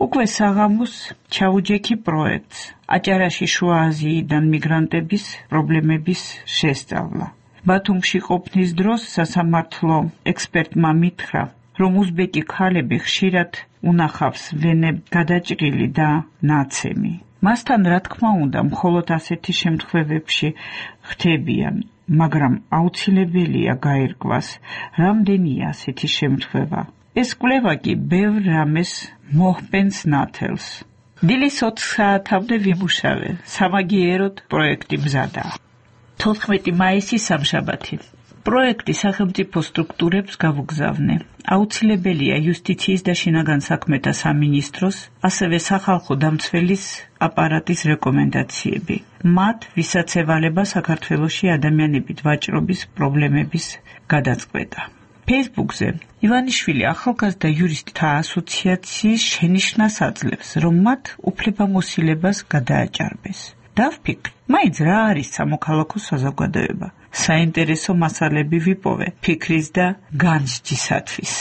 უკვე საღამოს ჩაუჯექი პროექტს, აჭარაში შუა აზიიდან მიგრანტების პრობლემების შესწავლა. ბათუმში ყოფნის დროს სასამართლო ექსპერტმა მითხრა, რომ უზბეკი ქალები ხშირად უნახავს ვენებ გადაჭრილი და ნაცემი. მასთან რა თქმა უნდა, მხოლოდ ასეთი შემთხვევებში ხდებიან, მაგრამ აუცილებელია გაირკვას, რამდენია ასეთი შემთხვევა. ეს კვლევა კი ბევრ რამეს მოჰპენს ნათელს. დილის ოთხ საათამდე ვიმუშავე, სამაგიეროდ პროექტი მზადაა. თოთხმეტი მაისი სამშაბათი. პროექტი სახელმწიფო სტრუქტურებს გავუგზავნე. აუცილებელია იუსტიციის და შინაგან საქმეთა სამინისტროს, ასევე სახალხო დამცველის აპარატის რეკომენდაციები. მათ, ვისაც ევალება საქართველოში ადამიანებით ვაჭრობის პრობლემების გადაწყვეტა. ფეისბუქზე ივანიშვილი ახალგაზრდა იურისტთა ასოციაციის შენიშვნას აძლევს, რომ მათ უფლებამოსილებას გადააჭარბეს. დავფიქრ, მაინც რა არის სამოქალაქო საზოგადოება. საინტერესო მასალები ვიპოვე ფიქრის და განსჯისათვის.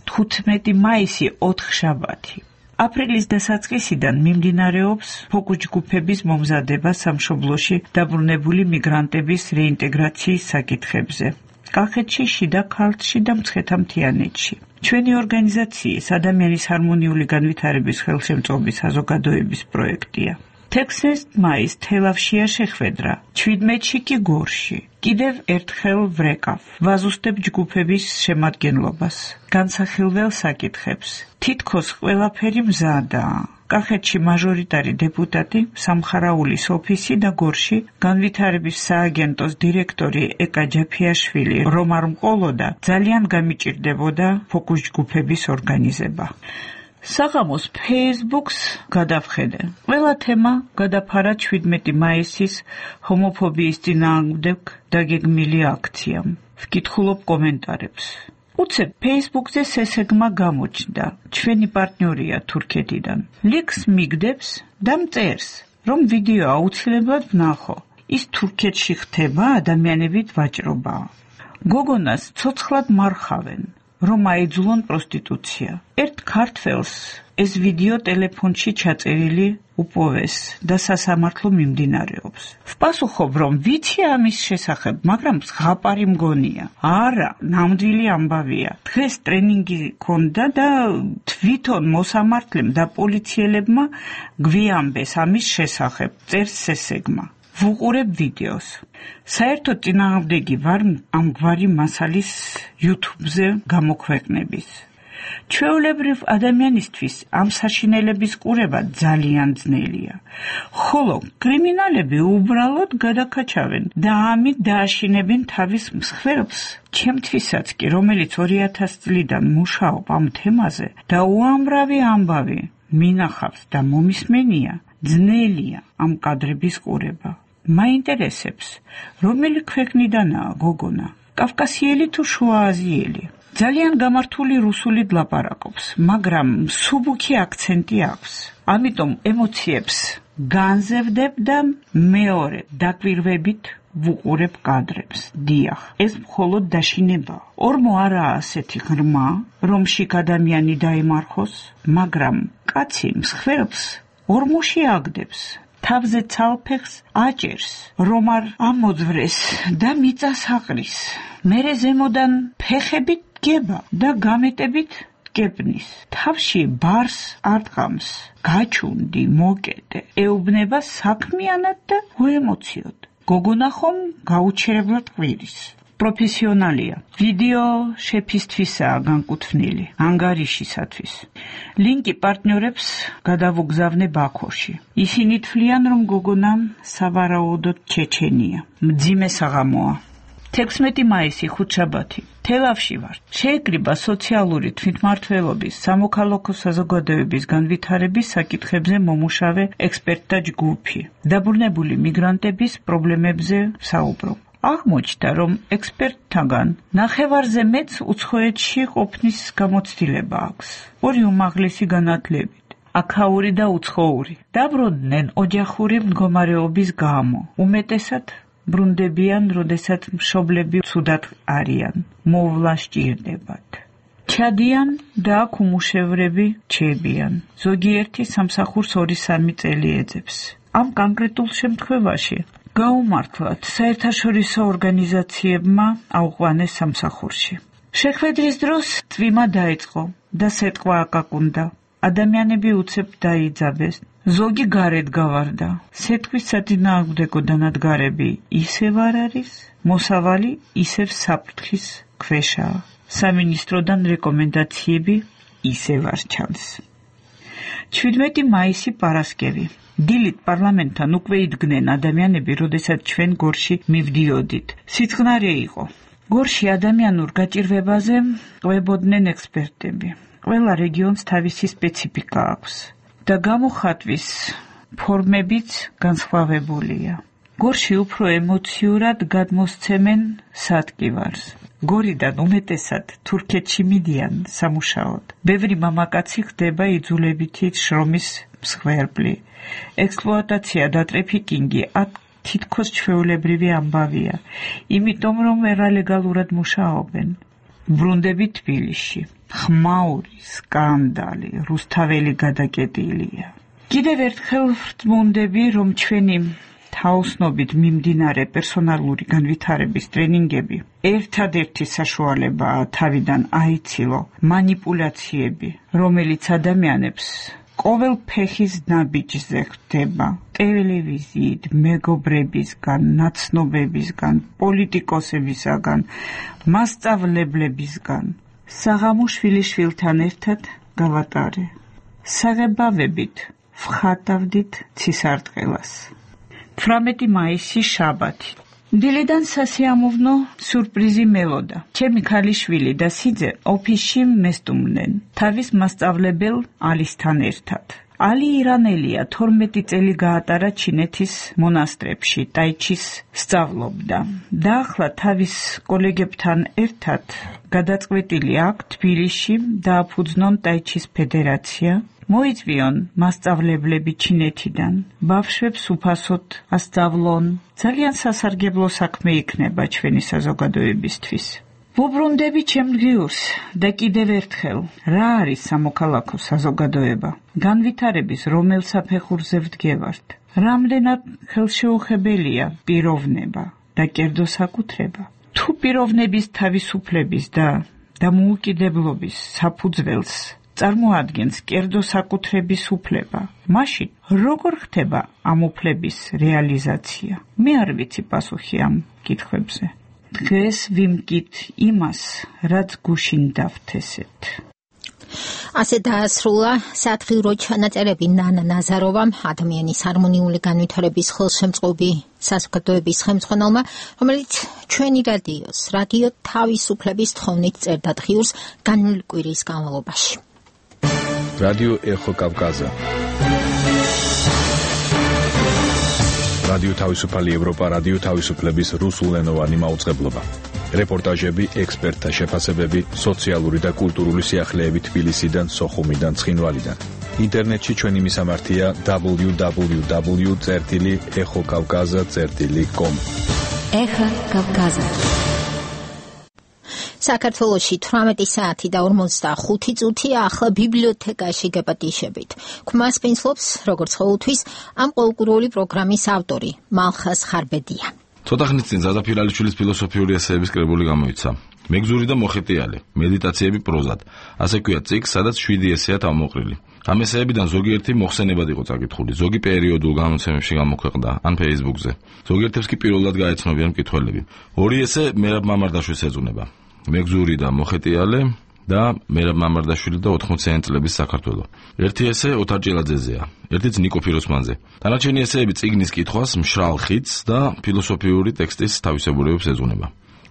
თხუთმეტი მაისი ოთხშაბათი. აპრილის დასაწყისიდან მიმდინარეობს ფოკუს-ჯგუფების მომზადება სამშობლოში დაბრუნებული მიგრანტების რეინტეგრაციის საკითხებზე. კახეთში, შიდა ქართლში და მცხეთა-მთიანეთში. ჩვენი ორგანიზაციის ადამიანის ჰარმონიული განვითარების ხელშემწყობის საზოგადოების პროექტია. თექვსმეტ მაისს თელავშია შეხვედრა, ჩვიდმეტში კი გორში. კიდევ ერთხელ ვრეკავ, ვაზუსტებ ჯგუფების შემადგენლობას, განსახილველ საკითხებს. თითქოს ყველაფერი მზადაა. კახეთში მაჟორიტარი დეპუტატი, სამხარაულის ოფისი და გორში განვითარების სააგენტოს დირექტორი ეკა ჯაფიაშვილი რომ არ მყოლოდა, ძალიან გამიჭირდებოდა ფოკუს ჯგუფების ორგანიზება. საღამოს ფეისბუქს გადავხედე. ყველა თემა გადაფარა ჩვიდმეტი მაისის ჰომოფობიის წინააღმდეგ დაგეგმილი აქციამ. ვკითხულობ კომენტარებს. უცებ ფეისბუქზე სესეგმა გამოჩნდა. ჩვენი პარტნიორია თურქეთიდან. ლინკს მიგდებს და მწერს, რომ ვიდეო აუცილებლად ვნახო. ის თურქეთში ხდება ადამიანებით ვაჭრობა. გოგონას ცოცხლად მარხავენ. რომ აიძულონ პროსტიტუცია. ერთ ქართველს ეს ვიდეო ტელეფონში ჩაწერილი უპოვეს და სასამართლო მიმდინარეობს. ვპასუხობ, რომ ვიცი ამის შესახებ, მაგრამ ზღაპარი მგონია. არა, ნამდვილი ამბავია. დღეს ტრენინგი ქონდა და თვითონ მოსამართლემ და პოლიციელებმა გვიამბეს ამის შესახებ, წერს სესეგმა. ვუყურებ ვიდეოს. საერთოდ წინააღმდეგი ვარ ამგვარი მასალის YouTube-ზე გამოქვეყნების. ჩვეულებრივ ადამიანისთვის ამ საშინელების ყურება ძალიან ძნელია, ხოლო კრიმინალები უბრალოდ გადაკაჩავენ და ამით დააშინებენ თავის მსხვერპლს. ჩემთვისაც კი, რომელიც ორი ათასი წლიდან მუშაობ ამ თემაზე და უამრავი ამბავი მინახავს და მომისმენია, ძნელია ამ კადრების ყურება. მაინტერესებს, რომელი ქვეყნიდანაა გოგონა, კავკასიელი თუ შუააზიელი. ძალიან გამართული რუსულით ლაპარაკობს, მაგრამ მსუბუქი აქცენტი აქვს. ამიტომ ემოციებს განზევდებ და მეორე დაკვირვებით ვუყურებ კადრებს. დიახ, ეს მხოლოდ დაშინებაა. ორმო არაა ასეთი ღრმა, რომ შიგ ადამიანი დაემარხოს, მაგრამ კაცი მსხვერპლს ორმოში აგდებს. თავზე ცალფეხს აჭერს, რომ არ ამოძვრეს და მიწას აყრის. მერე ზემოდან ფეხებით დგება და გამეტებით გებნის. თავში ბარს არტყამს. გაჩუნდი, მოკეტე, ეუბნება საქმიანად და უემოციოდ. გოგონა ხომ გაუჩერებლად ყვირის. პროფესიონალია. ვიდეო შეფისთვისაა განკუთვნილი, ანგარიშისათვის. ლინკი პარტნიორებს გადავუგზავნე ბაქოში. ისინი თვლიან, რომ გოგონა სავარაუდოდ ჩეჩენია. მძიმე საღამოა. თექვსმეტი მაისი, ხუთშაბათი. თელავში ვარ. შეეკრიბა სოციალური თვითმმართველობის სამოქალაქო საზოგადოების განვითარების საკითხებზე მომუშავე ექსპერტთა ჯგუფი. დაბრუნებული მიგრანტების პრობლემებზე საუბრობ. აღმოჩნდა, რომ ექსპერტთაგან ნახევარზე მეც უცხოეთში ყოფნის გამოცდილება აქვს. ორი უმაღლესი განათლებით, აქაური და უცხოური. დაბრუნდნენ ოჯახური მდგომარეობის გამო. უმეტესად ბრუნდებიან, როდესაც მშობლები ცუდად არიან, მოვლა სჭირდებათ. ჩადიან და აქ უმუშევრები ჩებიან. ზოგიერთი სამსახურს ორი-სამი წელი ეძებს. ამ კონკრეტულ შემთხვევაში გაუმართლად საერთაშორისო ორგანიზაციებმა აუყვანეს სამსახურში. შეხვედრის დროს წვიმა დაიწყო და სეტყვა აკაკუნდა. ადამიანები უცებ დაიძაბეს. ზოგი გარეთ გავარდა. სეტყვის საწინააღმდეგო დანადგარები ისევ არ არის, მოსავალი ისევ საფრთხის ქვეშაა. სამინისტროდან რეკომენდაციები ისევ არ ჩანს. ჩვიდმეტი მაისი პარასკევი. დილით პარლამენტთან უკვე იდგნენ ადამიანები, როდესაც ჩვენ გორში მივდიოდით. სიწყნარე იყო. გორში ადამიანურ გაჭირვებაზე ყვებოდნენ ექსპერტები. ყველა რეგიონს თავისი სპეციფიკა აქვს და გამოხატვის ფორმებიც განსხვავებულია. გორში უფრო ემოციურად გადმოსცემენ სადგივარს. გორიდან უმეტესად თურქეთში მიდიან სამუშაოდ. ბევრი მამაკაცი ხდება იძულებითი შრომის მსხვერპლი. ექსპლუატაცია და ტრაფიკინგი აქ თითქოს ჩვეულებრივი ამბავია, იმიტომ რომ ერალეგალურად მუშაობენ. ბრუნდები თბილისში. ხმაური, სკანდალი, რუსთაველი გადაკეტილია. კიდევ ერთხელ ვრწმუნდები, რომ ჩვენი თაოსნობით მიმდინარე პერსონალური განვითარების ტრენინგები ერთადერთი საშუალებაა თავიდან აიცილო მანიპულაციები, რომელიც ადამიანებს ყოველ ფეხის ნაბიჯზე ხდება. ტელევიზიით, მეგობრებისგან, ნაცნობებისგან, პოლიტიკოსებისგან, მასწავლებლებისგან. საღამოშვილი შვილთან ერთად გავატარე. საღებავებით ვხატავდით ცისარტყელას. თვრამეტი მაისი, შაბათი. დილიდან სასიამოვნო სურპრიზი მელოდა. ჩემი ქალიშვილი და სიძე ოფისში მესტუმნენ, თავის მასწავლებელ ალისთან ერთად. ალი ირანელია, თორმეტი წელი გაატარა ჩინეთის მონასტრებში, ტაიჩის სწავლობდა და ახლა თავის კოლეგებთან ერთად გადაწყვეტილი აქ თბილისში დააფუძნონ ტაიჩის ფედერაცია. მოიწვიონ მასწავლებლები ჩინეთიდან, ბავშვებს უფასოდ ასწავლონ. ძალიან სასარგებლო საქმე იქნება ჩვენი საზოგადოებისთვის. ვუბრუნდები ჩემს და კიდევ ერთხელ, რა არის სამოქალაქო საზოგადოება? განვითარების რომელ საფეხურზე ვდგევართ? რამდენად ხელშეუხებელია პიროვნება და კერძოსაკუთრება? თუ პიროვნების თავისუფლების და დამოუკიდებლობის საფუძველს წარმოადგენს კერძოსაკუთრების უფლება, მაშინ როგორ ხდება ამ უფლების რეალიზაცია? მე არ ვიცი პასუხი ამ კითხვებზე. დღეს ვიმკით იმას, რაც გუშინ დავთესეთ. ასე დაასრულა სათხილრო ჩანაწერები ნანა ნაზაროვამ, ადამიანის ჰარმონიული განვითარების ხელშემწყობი საზოგადოების ხელმძღვანელმა, რომელიც ჩვენი რადიოს, რადიო თავისუფლების თხოვნით წერდა დღიურს განვლილი კვირის განმავლობაში. რადიო ეხო კავკაზა. რადიო თავისუფალი ევროპა, რადიო თავისუფლების რუსულენოვანი მაუწყებლობა. რეპორტაჟები, ექსპერტთა შეფასებები, სოციალური და კულტურული სიახლეები თბილისიდან, სოხუმიდან, ცხინვალიდან. ინტერნეტში ჩვენი მისამართია დაბლიუ დაბლიუ დაბლიუ წერტილი ეხო კავკაზა წერტილი კომ. ეხა კავკაზა. საქართველოში თვრამეტი საათი და ორმოცდახუთი წუთია, ახლა ბიბლიოთეკაში გეპატიშებით. ქმას პინსლობს, როგორც ყოველთვის, ამ ყოველკვირეული პროგრამის ავტორი, მალხას ხარბედია. ცოტა ხნის წინ ზაზა ფირალიშვილის ფილოსოფიური ესეების კრებული გამოიცა. მეგზური და მოხეტიალე, მედიტაციები პროზად. ასე ქვია წიგნს, სადაც შვიდი ესეა თავმოყრილი. ამ ესეებიდან ზოგიერთი მოხსენებად იყო წაკითხული, ზოგი პერიოდულ გამოცემებში გამოქვეყნდა, ან Facebook-ზე. ზოგიერთებს კი პირველად გაეცნობიან მკითხველები. ორი ესე მერაბ მამარდაშვილს ეძუნება. მეგზური და მოხეტიალე და მერაბ მამარდაშვილი და ოთხმოციანი წლების საქართველო. ერთი ესე ოთარ ჭილაძეზეა, ერთიც ნიკო ფიროსმანზე. დანარჩენი ესეები წიგნის კითხვას, მშრალ ხიდს და ფილოსოფიური ტექსტის თავისებურებებს ეძღვნება.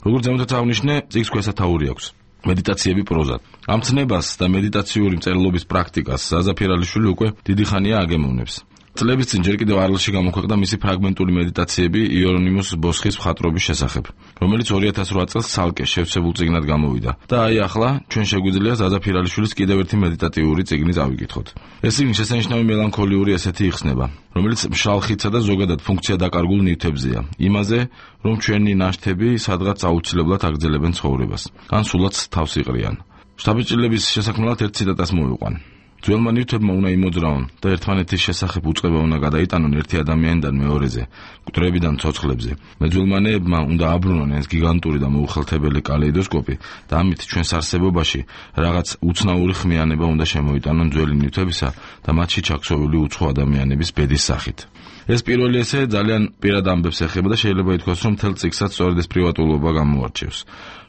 როგორც ზემოთ აღნიშნე, წიგნს ქვესათაური აქვს. მედიტაციები პროზად. ამ ცნებას და მედიტაციური მწერლობის პრაქტიკას ზაზა ფირალიშვილი უკვე დიდი ხანია აგემოვნებს. წლების წინ ჯერ კიდევ არლში გამოქვეყნდა მისი ფრაგმენტული მედიტაციები იერონიმუს ბოსხის მხატვრობის შესახებ, რომელიც ორი ათას რვა წელს ცალკე შევსებულ წიგნად გამოვიდა. და აი ახლა ჩვენ შეგვიძლია ზაზა ფირალიშვილის კიდევ ერთი მედიტატიური წიგნი წავიკითხოთ. ეს წიგნი შესანიშნავი მელანქოლიური ესეთი იხსნება, რომელიც მშრალ ხიდსა და ზოგადად ფუნქცია დაკარგულ ნივთებზეა. იმაზე, რომ ჩვენი ნაშთები სადღაც აუცილებლად აგრძელებენ ცხოვრებას, ან სულაც თავს იყრიან. შთაბეჭდილების შესაქმნელად ერთ ციტატას მოვიყვან. ძველმა ნივთებმა უნდა იმოძრავონ და ერთმანეთის შესახებ უწყება უნდა გადაიტანონ ერთი ადამიანიდან მეორეზე, მკვდრებიდან ცოცხლებზე. მეძველმანეებმა უნდა აბრუნონ ეს გიგანტური და მოუხელთებელი კალეიდოსკოპი და ამით ჩვენს არსებობაში რაღაც უცნაური ხმიანება უნდა შემოიტანონ ძველი ნივთებისა და მათში ჩაქსოვილი უცხო ადამიანების ბედის სახით. ეს პირველი ესე ძალიან პირად ამბებს ეხება და შეიძლება ითქვას, რომ მთელ წიგნსაც სწორედ ეს პრივატულობა გამოარჩევს.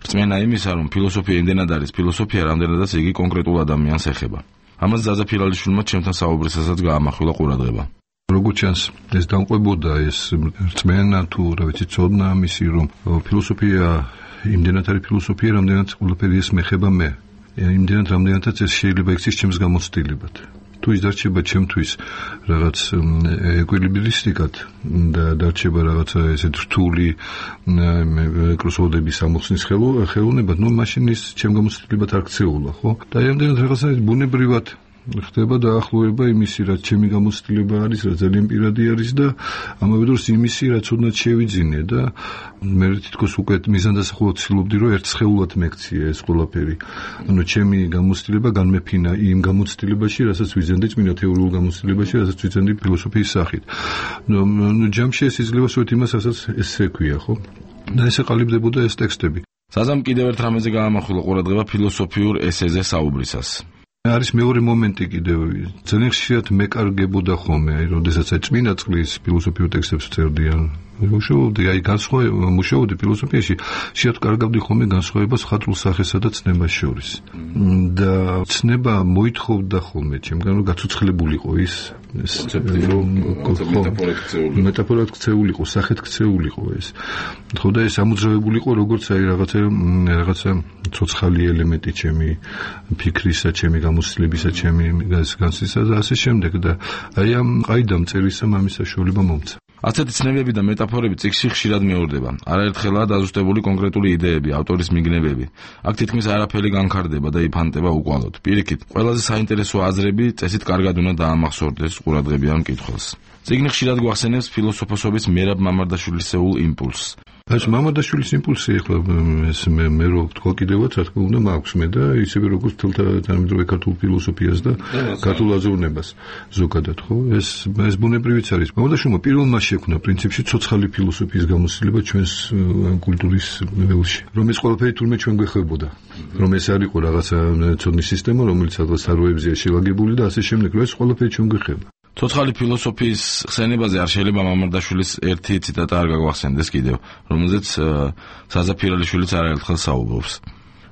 რწმენა იმისა, რომ ფილოსოფია იმდენად არის ფილოსოფია, რამდენადაც იგი კონკრეტულ ადამიანს ეხება. ამას ზაზა ფირალიშვილმა ჩემთან საუბრისასაც გაამახვილა ყურადღება. როგორც ჩანს, ეს დამყვებოდა ეს რწმენა თუ რა ვიცი ცოდნა ამისი, რომ ფილოსოფია იმდენად არის ფილოსოფია, რამდენად ყველაფერი ეს მეხება მე. იმდენად რამდენადაც ეს შეიძლება იქცეს ჩემს გამოცდილებად. თუ ის დარჩება ჩემთვის რაღაც ეკვილიბრისტიკად და დარჩება რაღაცა ესეთ რთული კროსოვოდების ამოხსნის ხელოვნებად, ნუ მაშინ ის ჩემ გამოცდილებად არ ქცეულა, ხო? და ამდენად რაღაცა ბუნებრივად ხდება დაახლოება იმისი, რაც ჩემი გამოცდილება არის, რაც ძალიან პირადი არის და ამავე დროს იმისი, რაც ოდნავ შევიძინე და მე თითქოს უკვე მიზანდასახულოდ ცდილობდი, რომ ერთ სხეულად მეკცია ეს ყველაფერი. ანუ ჩემი გამოცდილება განმეფინა იმ გამოცდილებაში, რასაც ვიძენდი წმინდა თეორიულ გამოცდილებაში, რასაც ვიძენდი ფილოსოფიის სახით. ნუ ჯამში ეს იძლევა სწორედ იმას, რასაც ესე ქვია, ხო? და ესე ყალიბდებოდა ეს ტექსტები. საზამ კიდევ ერთ რამეზე გაამახვილა ყურადღება ფილოსოფიურ ესეზე საუბრისას. არის მეორე მომენტი კიდევ ძალიან ხშირად მეკარგებოდა ხოლმე, აი როდესაც აი წმინდა წყლის ფილოსოფიურ ტექსტებს წერდიან. მუშაობდი აი განსხვავება მუშაობდი ფილოსოფიაში, შეიძლება კარგავდი ხოლმე განსხვავებას ხატრულ სახესა და ცნებას შორის. და ცნება მოითხოვდა ხოლმე ჩემგან რომ გაცოცხლებულიყო ის ეს მეტაფორად ქცეულიყო, სახეთ ქცეულიყო ეს. ხო და ეს ამოძრავებულიყო როგორც აი რაღაცა რაღაცა ცოცხალი ელემენტი ჩემი ფიქრისა, ჩემი გამოცდილებისა, ჩემი განსისა და ასე შემდეგ და აი ამ ყაიდამ წერისა ამის საშუალება მომცა. ასეთი ცნებები და მეტაფორები წიგნში ხშირად მეორდება. არაერთხელაა დაზუსტებული კონკრეტული იდეები, ავტორის მიგნებები. აქ თითქმის არაფერი განხარდება და იფანტება უკვალოდ. პირიქით, ყველაზე საინტერესო აზრები წესით კარგად უნდა დაამახსოვრდეს ყურადღებიან მკითხველს. წიგნი ხშირად გვახსენებს ფილოსოფოსობის მერაბ მამარდაშვილისეულ იმპულსს. ეს მამარდაშვილის იმპულსი ახლა ეს მე მე რო თქვა კიდევაც რა თქმა უნდა მაქვს მე და ისევე როგორც თელთა თანამედროვე ქართულ ფილოსოფიას და ქართულ აზროვნებას ზოგადად ხო ეს ეს ბუნებრივიც არის. მამარდაშვილმა პირველმა შექმნა პრინციპში ცოცხალი ფილოსოფიის გამოცდილება ჩვენს კულტურის ველში, რომ ეს ყველაფერი თურმე ჩვენ გვეხებოდა, რომ ეს არ იყო რაღაცა ცოდნის სისტემა, რომელიც სადღაც საროებზეა შელაგებული და ასე შემდეგ, რომ ეს ყველაფერი ჩვენ გვეხება. ცოცხალი ფილოსოფიის ხსენებაზე არ შეიძლება მამარდაშვილის ერთი ციტატა არ გაგვახსენდეს კიდევ, რომელზეც საზა ფირალიშვილიც არაერთხელ საუბრობს.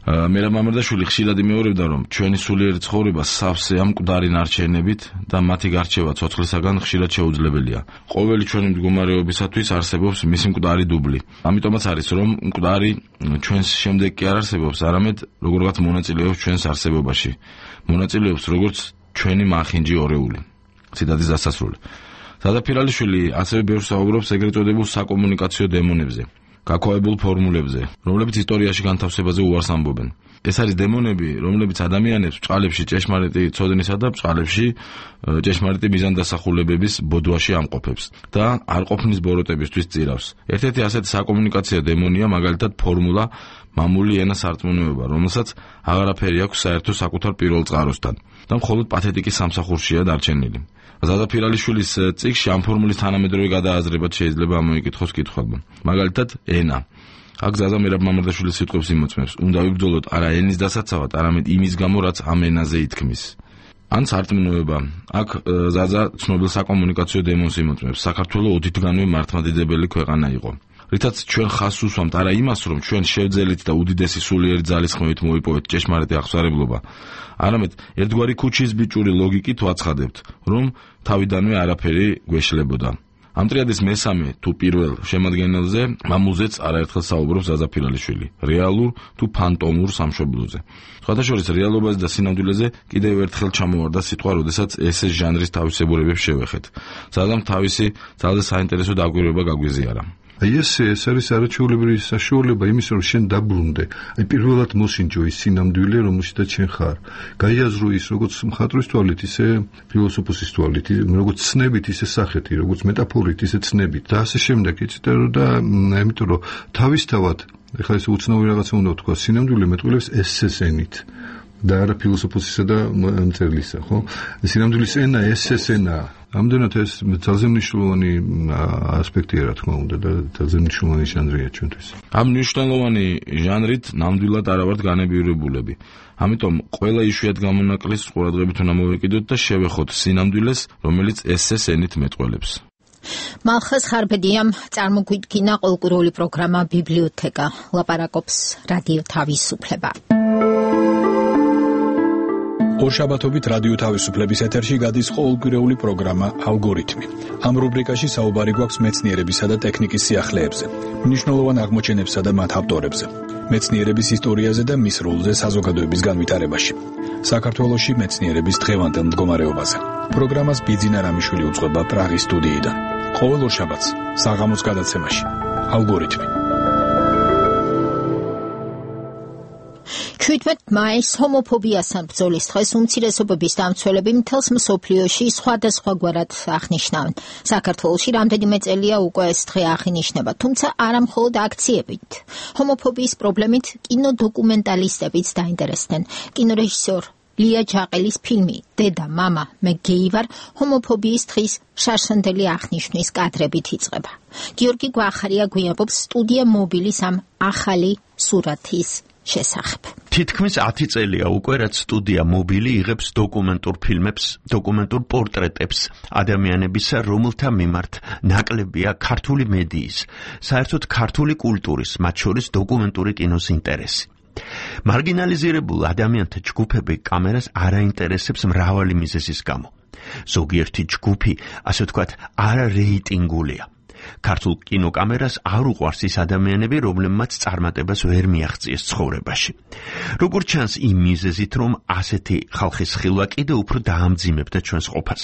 მერაბ მამარდაშვილი ხშირად იმეორებდა, რომ ჩვენი სულიერი ცხოვრება სავსე ამ მკვდარი ნარჩენებით და მათი გარჩევა ცოცხლისაგან ხშირად შეუძლებელია. ყოველი ჩვენი მდგომარეობისათვის არსებობს მისი მკვდარი დუბლი. ამიტომაც არის, რომ მკვდარი ჩვენს შემდეგ კი არ არსებობს, არამედ როგორღაც მონაწილეობს ჩვენს არსებობაში. მონაწილეობს როგორც ჩვენი მახინჯი ორეული. ციტატის დასასრული. ზადაფირალიშვილი ასევე ბევრს საუბრობს ეგრეთ წოდებულ საკომუნიკაციო დემონებზე, გაქვავებულ ფორმულებზე, რომლებიც ისტორიაში განთავსებაზე უარს ამბობენ. ეს არის დემონები, რომლებიც ადამიანებს ბჭყალებში ჭეშმარიტი ცოდნისა და ბჭყალებში ჭეშმარიტი მიზანდასახულებების ბოდვაში ამყოფებს და არ ყოფნის ბოროტებისთვის წირავს. ერთ-ერთი ასეთი საკომუნიკაციო დემონია მაგალითად ფორმულა მამული ენა სარწმუნოება, რომელსაც აღარაფერი აქვს საერთო საკუთარ პირველ წყაროსთან და მხოლოდ პათეტიკის სამსახურშია დარჩენილი. ზადაფირალიშვილის წიგნში ამ ფორმულის თანამედროვე გადააზრებაც შეიძლება ამოიკითხოს კითხვებმა. მაგალითად, ენა. აქ ზაზა მერაბ მამარდაშვილის სიტყვებს იმოწმებს. უნდა ვიბრძოლოთ არა ენის დასაცავად, არამედ იმის გამო, რაც ამ ენაზე ითქმის. ან სარწმუნოება. აქ ზაზა ცნობილ საკომუნიკაციო დემონს იმოწმებს. საქართველოს ოდითგანვე მართლმადიდებელი ქვეყანა იყო. რითაც ჩვენ ხაზს უსვამთ არა იმას, რომ ჩვენ შევძელით და უდიდესი სულიერი ძალისხმევით მოიპოვეთ ჭეშმარიტი აღსარებლობა, არამედ ერთგვარი ქუჩის ბიჭური ლოგიკით ვაცხადებთ, რომ თავიდანვე არაფერი გვეშლებოდა. ამ ტრიადის მესამე თუ პირველ შემადგენელზე მამულზეც არაერთხელ საუბრობს ზაზაფირალიშვილი, რეალურ თუ ფანტომურ სამშობლოზე. სხვათა შორის რეალობაზე და სინამდვილეზე კიდევ ერთხელ ჩამოვარდა სიტყვა, როდესაც ესეს ჟანრის თავისებურებებს შევეხეთ. ზაზამ თავისი ძალზე საინტერესო დაკვირვება გაგვიზიარა. აი ეს ეს არის არაჩვეულებრივი საშუალება იმის, რომ შენ დაბრუნდე. აი პირველად მოსინჯო ის სინამდვილე, რომელშიც შენ ხარ. გაიაზრო ის როგორც მხატვრის თვალით, ისე ფილოსოფოსის თვალით, როგორც ცნებით, ისე სახეთი, როგორც მეტაფორით, ისე ცნებით და ასე შემდეგ. იცით და ამიტომ რომ თავისთავად ეხლა ეს უცნაური რაღაცა უნდა ვთქვა, სინამდვილე მეტყველებს ესესენით. და არა ფილოსოფოსისა და მწერლისა, ხო? სინამდვილის ენა ესესენაა. ამდენად ეს ძალზე მნიშვნელოვანი ასპექტია, რა თქმა უნდა, და ძალზე მნიშვნელოვანი ჟანრია ჩვენთვის. ამ მნიშვნელოვანი ჟანრით ნამდვილად არა ვართ განებიურებულები. ამიტომ ყველა იშვიათ გამონაკლის ყურადღებით უნდა მოვეკიდოთ და შევეხოთ სინამდვილეს, რომელიც ესეს ენით მეტყველებს. მალხაზ ხარბედიამ წარმოგვიდგინა ყოლკურული პროგრამა ბიბლიოთეკა. ლაპარაკობს რადიო თავისუფლება. ორშაბათობით რადიო თავისუფლების ეთერში გადის ყოველკვირეული პროგრამა ალგორითმი. ამ რუბრიკაში საუბარი გვაქვს მეცნიერებისა და ტექნიკის სიახლეებზე, მნიშვნელოვან აღმოჩენებსა და მათ ავტორებზე, მეცნიერების ისტორიაზე და მის როლზე საზოგადოების განვითარებაში. საქართველოში მეცნიერების დღევანდელ მდგომარეობაზე. პროგრამას ბიძინა რამიშვილი უძღვება პრაღის სტუდიიდან. ყოველ ორშაბათს საღამოს გადაცემაში ალგორითმი. შვიდმეტ მაისს ჰომოფობიასთან ბრძოლის დღეს უმცირესობების დამცველები მთელს მსოფლიოში სხვადასხვაგვარად აღნიშნავენ. საქართველოში რამდენიმე წელია უკვე ეს დღე აღინიშნება, თუმცა არა მხოლოდ აქციებით. ჰომოფობიის პრობლემით კინოდოკუმენტალისტებიც დაინტერესდნენ. კინორეჟისორ ლია ჯაყელის ფილმი დედა, მამა, მე გეი ვარ ჰომოფობიის დღის შარშანდელი აღნიშვნის კადრებით იწყება. გიორგი გვახარია გვიამბობს სტუდია მობილის ამ ახალი სურათის შესახებ. თითქმის ათი წელია უკვე, რაც სტუდია მობილი იღებს დოკუმენტურ ფილმებს, დოკუმენტურ პორტრეტებს ადამიანებისა, რომელთა მიმართ ნაკლებია ქართული მედიის, საერთოდ ქართული კულტურის, მათ შორის დოკუმენტური კინოს ინტერესი. მარგინალიზირებულ ადამიანთა ჯგუფები კამერას არ აინტერესებს მრავალი მიზეზის გამო. ზოგიერთი ჯგუფი, ასე ვთქვათ, არარეიტინგულია. ქართულ კინოკამერას არ უყვარს ის ადამიანები, რომლებმაც წარმატებას ვერ მიაღწიეს ცხოვრებაში. როგორც ჩანს იმ მიზეზით, რომ ასეთი ხალხის ხილვა კიდევ უფრო დაამძიმებდა ჩვენს ყოფას.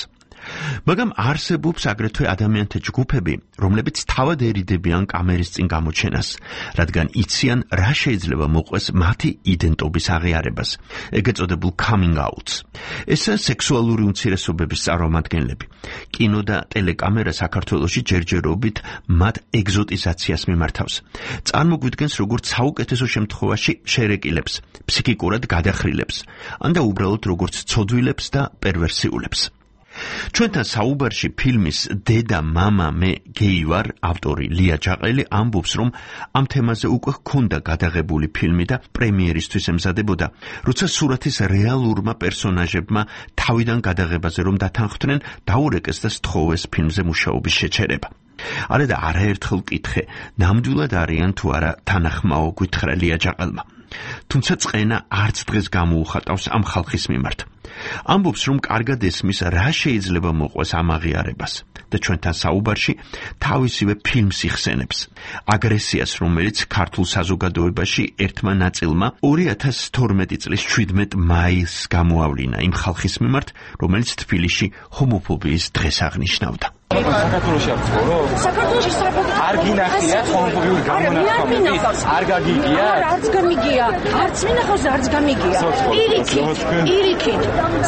მაგრამ არსებობს აგრეთვე ადამიანთა ჯგუფები, რომლებიც თავად ერიდებიან კამერის წინ გამოჩენას, რადგან იციან, რა შეიძლება მოყვეს მათი იდენტობის აღიარებას, ეგრეთ წოდებულ coming outs. ესაა სექსუალური უმცირესობების წარმომადგენლები. კინო და ტელეკამერა საქართველოში ჯერჯერობით მათ ეგზოტიზაციას მიმართავს. წარმოგვიდგენს როგორც საუკეთესო შემთხვევაში შერეკილებს, ფსიქიკურად გადახრილებს, ან და უბრალოდ როგორც ცოდვილებს და პერვერსიულებს. ჩვენთან საუბარში ფილმის დედა, მამა, მე გეი ვარ ავტორი ლია ჯაყელი ამბობს, რომ ამ თემაზე უკვე ჰქონდა გადაღებული ფილმი და პრემიერისთვის ემზადებოდა, როცა სურათის რეალურმა პერსონაჟებმა თავიდან გადაღებაზე რომ დათანხმდნენ, დაურეკეს და სთხოვეს ფილმზე მუშაობის შეჩერება. არა და არაერთხელ ვკითხე, ნამდვილად არიან თუ არა თანახმაო, გითხრა ლია ჯაყელმა. თუმცა წყენა არც დღეს გამოუხატავს ამ ხალხის მიმართ. ამბობს, რომ კარგად ესმის, რა შეიძლება მოყვეს ამ აღიარებას და ჩვენთან საუბარში თავისივე ფილმს იხსენებს. აგრესიას, რომელიც ქართულ საზოგადოებაში ერთმა ნაწილმა ორი ათას თორმეტი წლის შვიდმეტ მაისს გამოავლინა იმ ხალხის მიმართ, რომელიც თბილისში ჰომოფობიის დღეს აღნიშნავდა. საქართველოში არ ცხოვრო? საქართველოში საერთოდ არ გინახია ჰომოფობიური გამონათქვამები? არ გაგიგია? არც გამიგია, არც მინახავს, არც გამიგია. პირიქით, პირიქით.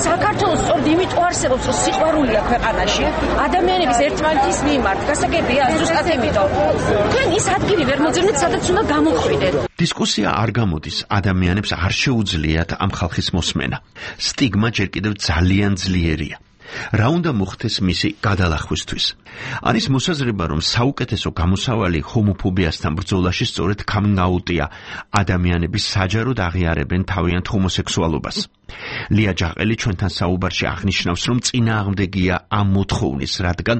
საქართველოს სწორედ იმიტომ არსებობს, რომ სიყვარულია ქვეყანაში, ადამიანების ერთმანეთის მიმართ. გასაგებია, ზუსტად იმიტომ. თქვენ ის ადგილი ვერ მოძებნეთ, სადაც უნდა გამოხვიდეთ. დისკუსია არ გამოდის, ადამიანებს არ შეუძლიათ ამ ხალხის მოსმენა. სტიგმა ჯერ კიდევ ძალიან ძლიერია. რა უნდა მოხდეს მისი გადალახვისთვის? არის მოსაზრება, რომ საუკეთესო გამოსავალი ჰომოფობიასთან ბრძოლაში სწორედ coming-out-ია. ადამიანები საჯაროდ აღიარებენ თავიანთ ჰომოსექსუალობას. ლია ჯაყელი ჩვენთან საუბარში აღნიშნავს, რომ წინააღმდეგია ამ მოთხოვნის, რადგან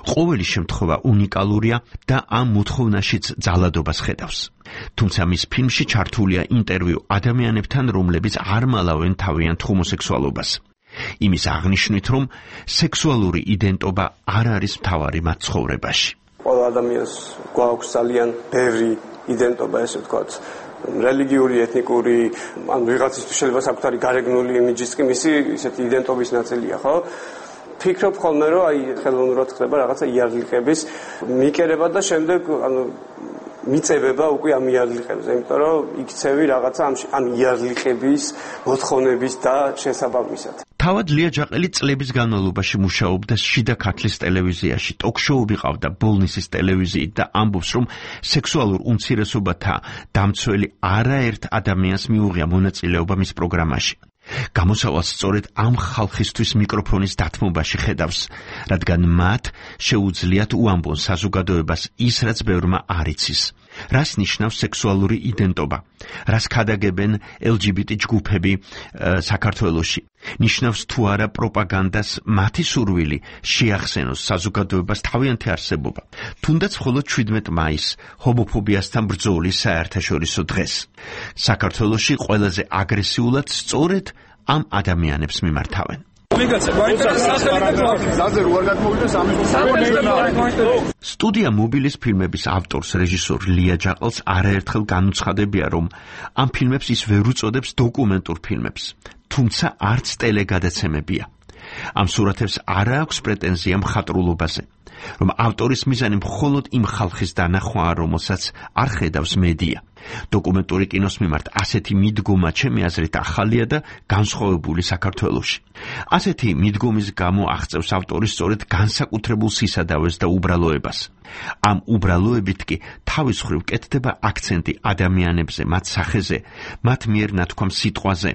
ყოველი შემთხვევა უნიკალურია და ამ მოთხოვნაშიც ძალადობას ხედავს. თუმცა მის ფილმში ჩართულია ინტერვიუ ადამიანებთან, რომლებიც არ მალავენ თავიანთ ჰომოსექსუალობას. იმის აღნიშვნით, რომ სექსუალური იდენტობა არ არის მთავარი მათ ცხოვრებაში. ყველა ადამიანს გვაქვს ძალიან ბევრი იდენტობა, ესე ვთქვათ, რელიგიური, ეთნიკური, ან ვიღაცისთვის შეიძლება საკუთარი გარეგნული იმიჯიც კი მისი ისეთი იდენტობის ნაწილია, ხო? ფიქრობ ხოლმე, რომ აი ხელოვნურად ხდება რაღაცა იარლიყების მიკერება და შემდეგ ანუ მიწებება უკვე ამ იარლიყებზე, იმიტომ რომ იქცევი რაღაცა ამ იარლიყების მოთხოვნების და შესაბამისად. თავად ლია ჯაყელი წლების განმავლობაში მუშაობდა შიდა ქართლის ტელევიზიაში, ტოქ-შოუები ყავდა ბოლნისის ტელევიზიით და ამბობს, რომ სექსუალურ უმცირესობათა დამცველი არაერთ ადამიანს მიუღია მონაწილეობა მის პროგრამაში. გამოსავალს სწორედ ამ ხალხისთვის მიკროფონის დათმობაში ხედავს, რადგან მათ შეუძლიათ უამბონ საზოგადოებას ის, რაც ბევრმა არ იცის. რას ნიშნავს სექსუალური იდენტობა? რას ქადაგებენ ელ ჯი ბი ტი ჯგუფები საქართველოში? ნიშნავს თუ არა პროპაგანდას მათი სურვილი შეახსენოს საზოგადოებას თავიანთი არსებობა, თუნდაც მხოლოდ შვიდმეტ მაისს, ჰომოფობიასთან ბრძოლის საერთაშორისო დღეს. საქართველოში ყველაზე აგრესიულად სწორედ ამ ადამიანებს მიმართავენ. სტუდია მობილის ფილმების ავტორს, რეჟისორ ლია ჯაყელს არაერთხელ განუცხადებია, რომ ამ ფილმებს ის ვერ უწოდებს დოკუმენტურ ფილმებს, თუმცა არც ტელეგადაცემებია. ამ სურათებს არ აქვს პრეტენზია მხატვრულობაზე, რომ ავტორის მიზანი მხოლოდ იმ ხალხის დანახვაა, რომელსაც არ ხედავს მედია. დოკუმენტური კინოს მიმართ ასეთი მიდგომა ჩემი აზრით ახალია და განსხვავებული საქართველოში. ასეთი მიდგომის გამო აღწევს ავტორი სწორედ განსაკუთრებულ სისადავეს და უბრალოებას. ამ უბრალოებით კი თავის მხრივ კეთდება აქცენტი ადამიანებზე, მათ სახეზე, მათ მიერ ნათქვამ სიტყვაზე.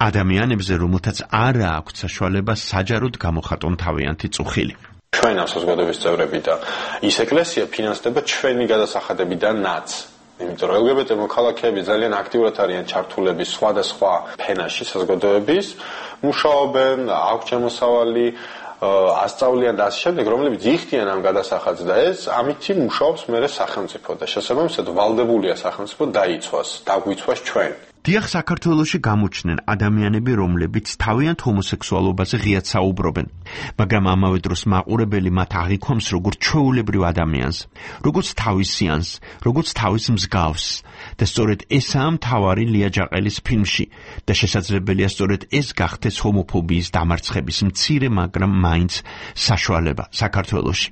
ადამიანებზე, რომელთაც არ აქვთ საშუალება საჯაროდ გამოხატონ თავიანთი წუხილი. ჩვენ ამ საზოგადოების წევრები და ის ეკლესია ფინანსდება ჩვენი გადასახადებიდანაც. იმიტომ რომ ელ გი ბი ტი მოქალაქეები ძალიან აქტიურად არიან ჩართულები სხვადასხვა ფენაში საზოგადოების, მუშაობენ, აქვს შემოსავალი, ასწავლიან და ასე შემდეგ, რომლებიც იხდიან ამ გადასახადს და ეს ამითი მუშაობს მერე სახელმწიფო და შესაბამისად ვალდებულია სახელმწიფო დაიცვას, დაგვიცვას ჩვენ. დიახ, საქართველოში გამოჩნდნენ ადამიანები, რომლებიც თავიანთ ჰომოსექსუალობაზე ღიად საუბრობენ, მაგრამ ამავე დროს მაყურებელი მათ აღიქვამს როგორც ჩვეულებრივ ადამიანს, როგორც თავისიანს, როგორც თავის მსგავს. და სწორედ ესაა მთავარი ლია ჯაყელის ფილმში და შესაძლებელია სწორედ ეს გახდეს ჰომოფობიის დამარცხების მცირე, მაგრამ მაინც საშუალება საქართველოში.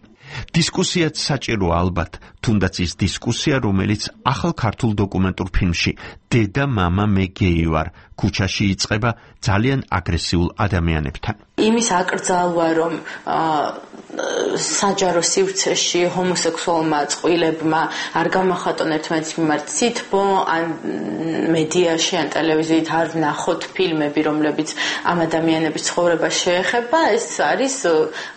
დისკუსიაც საჭიროა ალბათ, თუნდაც ის დისკუსია, რომელიც ახალ ქართულ დოკუმენტურ ფილმში დედა მამა მე გეი ვარ ქუჩაში იწყება ძალიან აგრესიულ ადამიანებთან. იმის აკრძალვა, რომ საჯარო სივრცეში ჰომოსექსუალმა წყვილებმა არ გამოხატონ ერთმანეთის მიმართ სითბო, ან მედიაში, ან ტელევიზიით არ ვნახოთ ფილმები, რომლებიც ამ ადამიანების ცხოვრებას შეეხება, ეს არის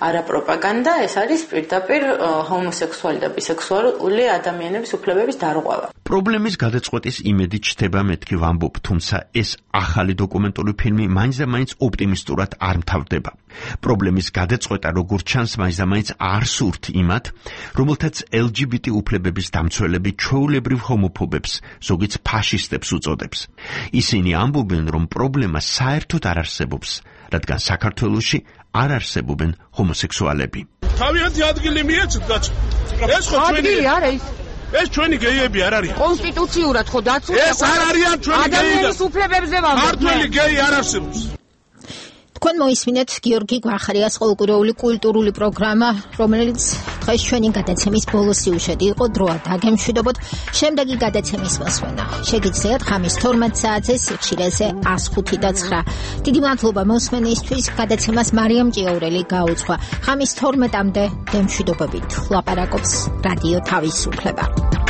არა პროპაგანდა, ეს არის პირდაპირ ჰომოსექსუალი და ბისექსუალი ადამიანების უფლებების დარღვევა. პრობლემის გადაწყვეტის იმედი ჩდება მეთქი ვამბობ, თუმცა ეს ახალი დოკუმენტური ფილმი მაინც და მაინც ოპტიმისტურად არ მთავრდება. პრობლემის გადაწყვეტა როგორც ჩანს მაინც და მაინც არ სურთ იმათ, რომელთაც ელ ჯი ბი ტი უფლებების დამცველები ჩვეულებრივ ჰომოფობებს, ზოგიც ფაშისტებს უწოდებს. ისინი ამბობენ, რომ პრობლემა საერთოდ არ არსებობს, რადგან საქართველოში არ არსებობენ ჰომოსექსუალები. თავიანთი ადგილი მიეცეთ კაცო. ეს ხო ჩვენი ადგილი არა ის. ეს ჩვენი გეიები არ არიან. კონსტიტუციურად ხო დაცულია. ეს არ არიან ჩვენი გეიები. ადამიანის უფლებებზე ვამბობ. ქართველი გეი არ არსებობს. თქვენ მოისმინეთ გიორგი გვახარიას ყოველკვირეული კულტურული პროგრამა, რომელიც დღეს ჩვენი გადაცემის ბოლო სიუჟეტი იყო. დროა დაგემშვიდობოთ. შემდეგი გადაცემის მოსვენა შეგიძლიათ ხამის თორმეტ საათზე სიხშირეზე ას ხუთი და ცხრა. დიდი მადლობა მოსმენისთვის. გადაცემას მარიამ ჭიაურელი გაუძღვა. ხამის თორმეტამდე გემშვიდობებით. ლაპარაკობს რადიო თავისუფლება.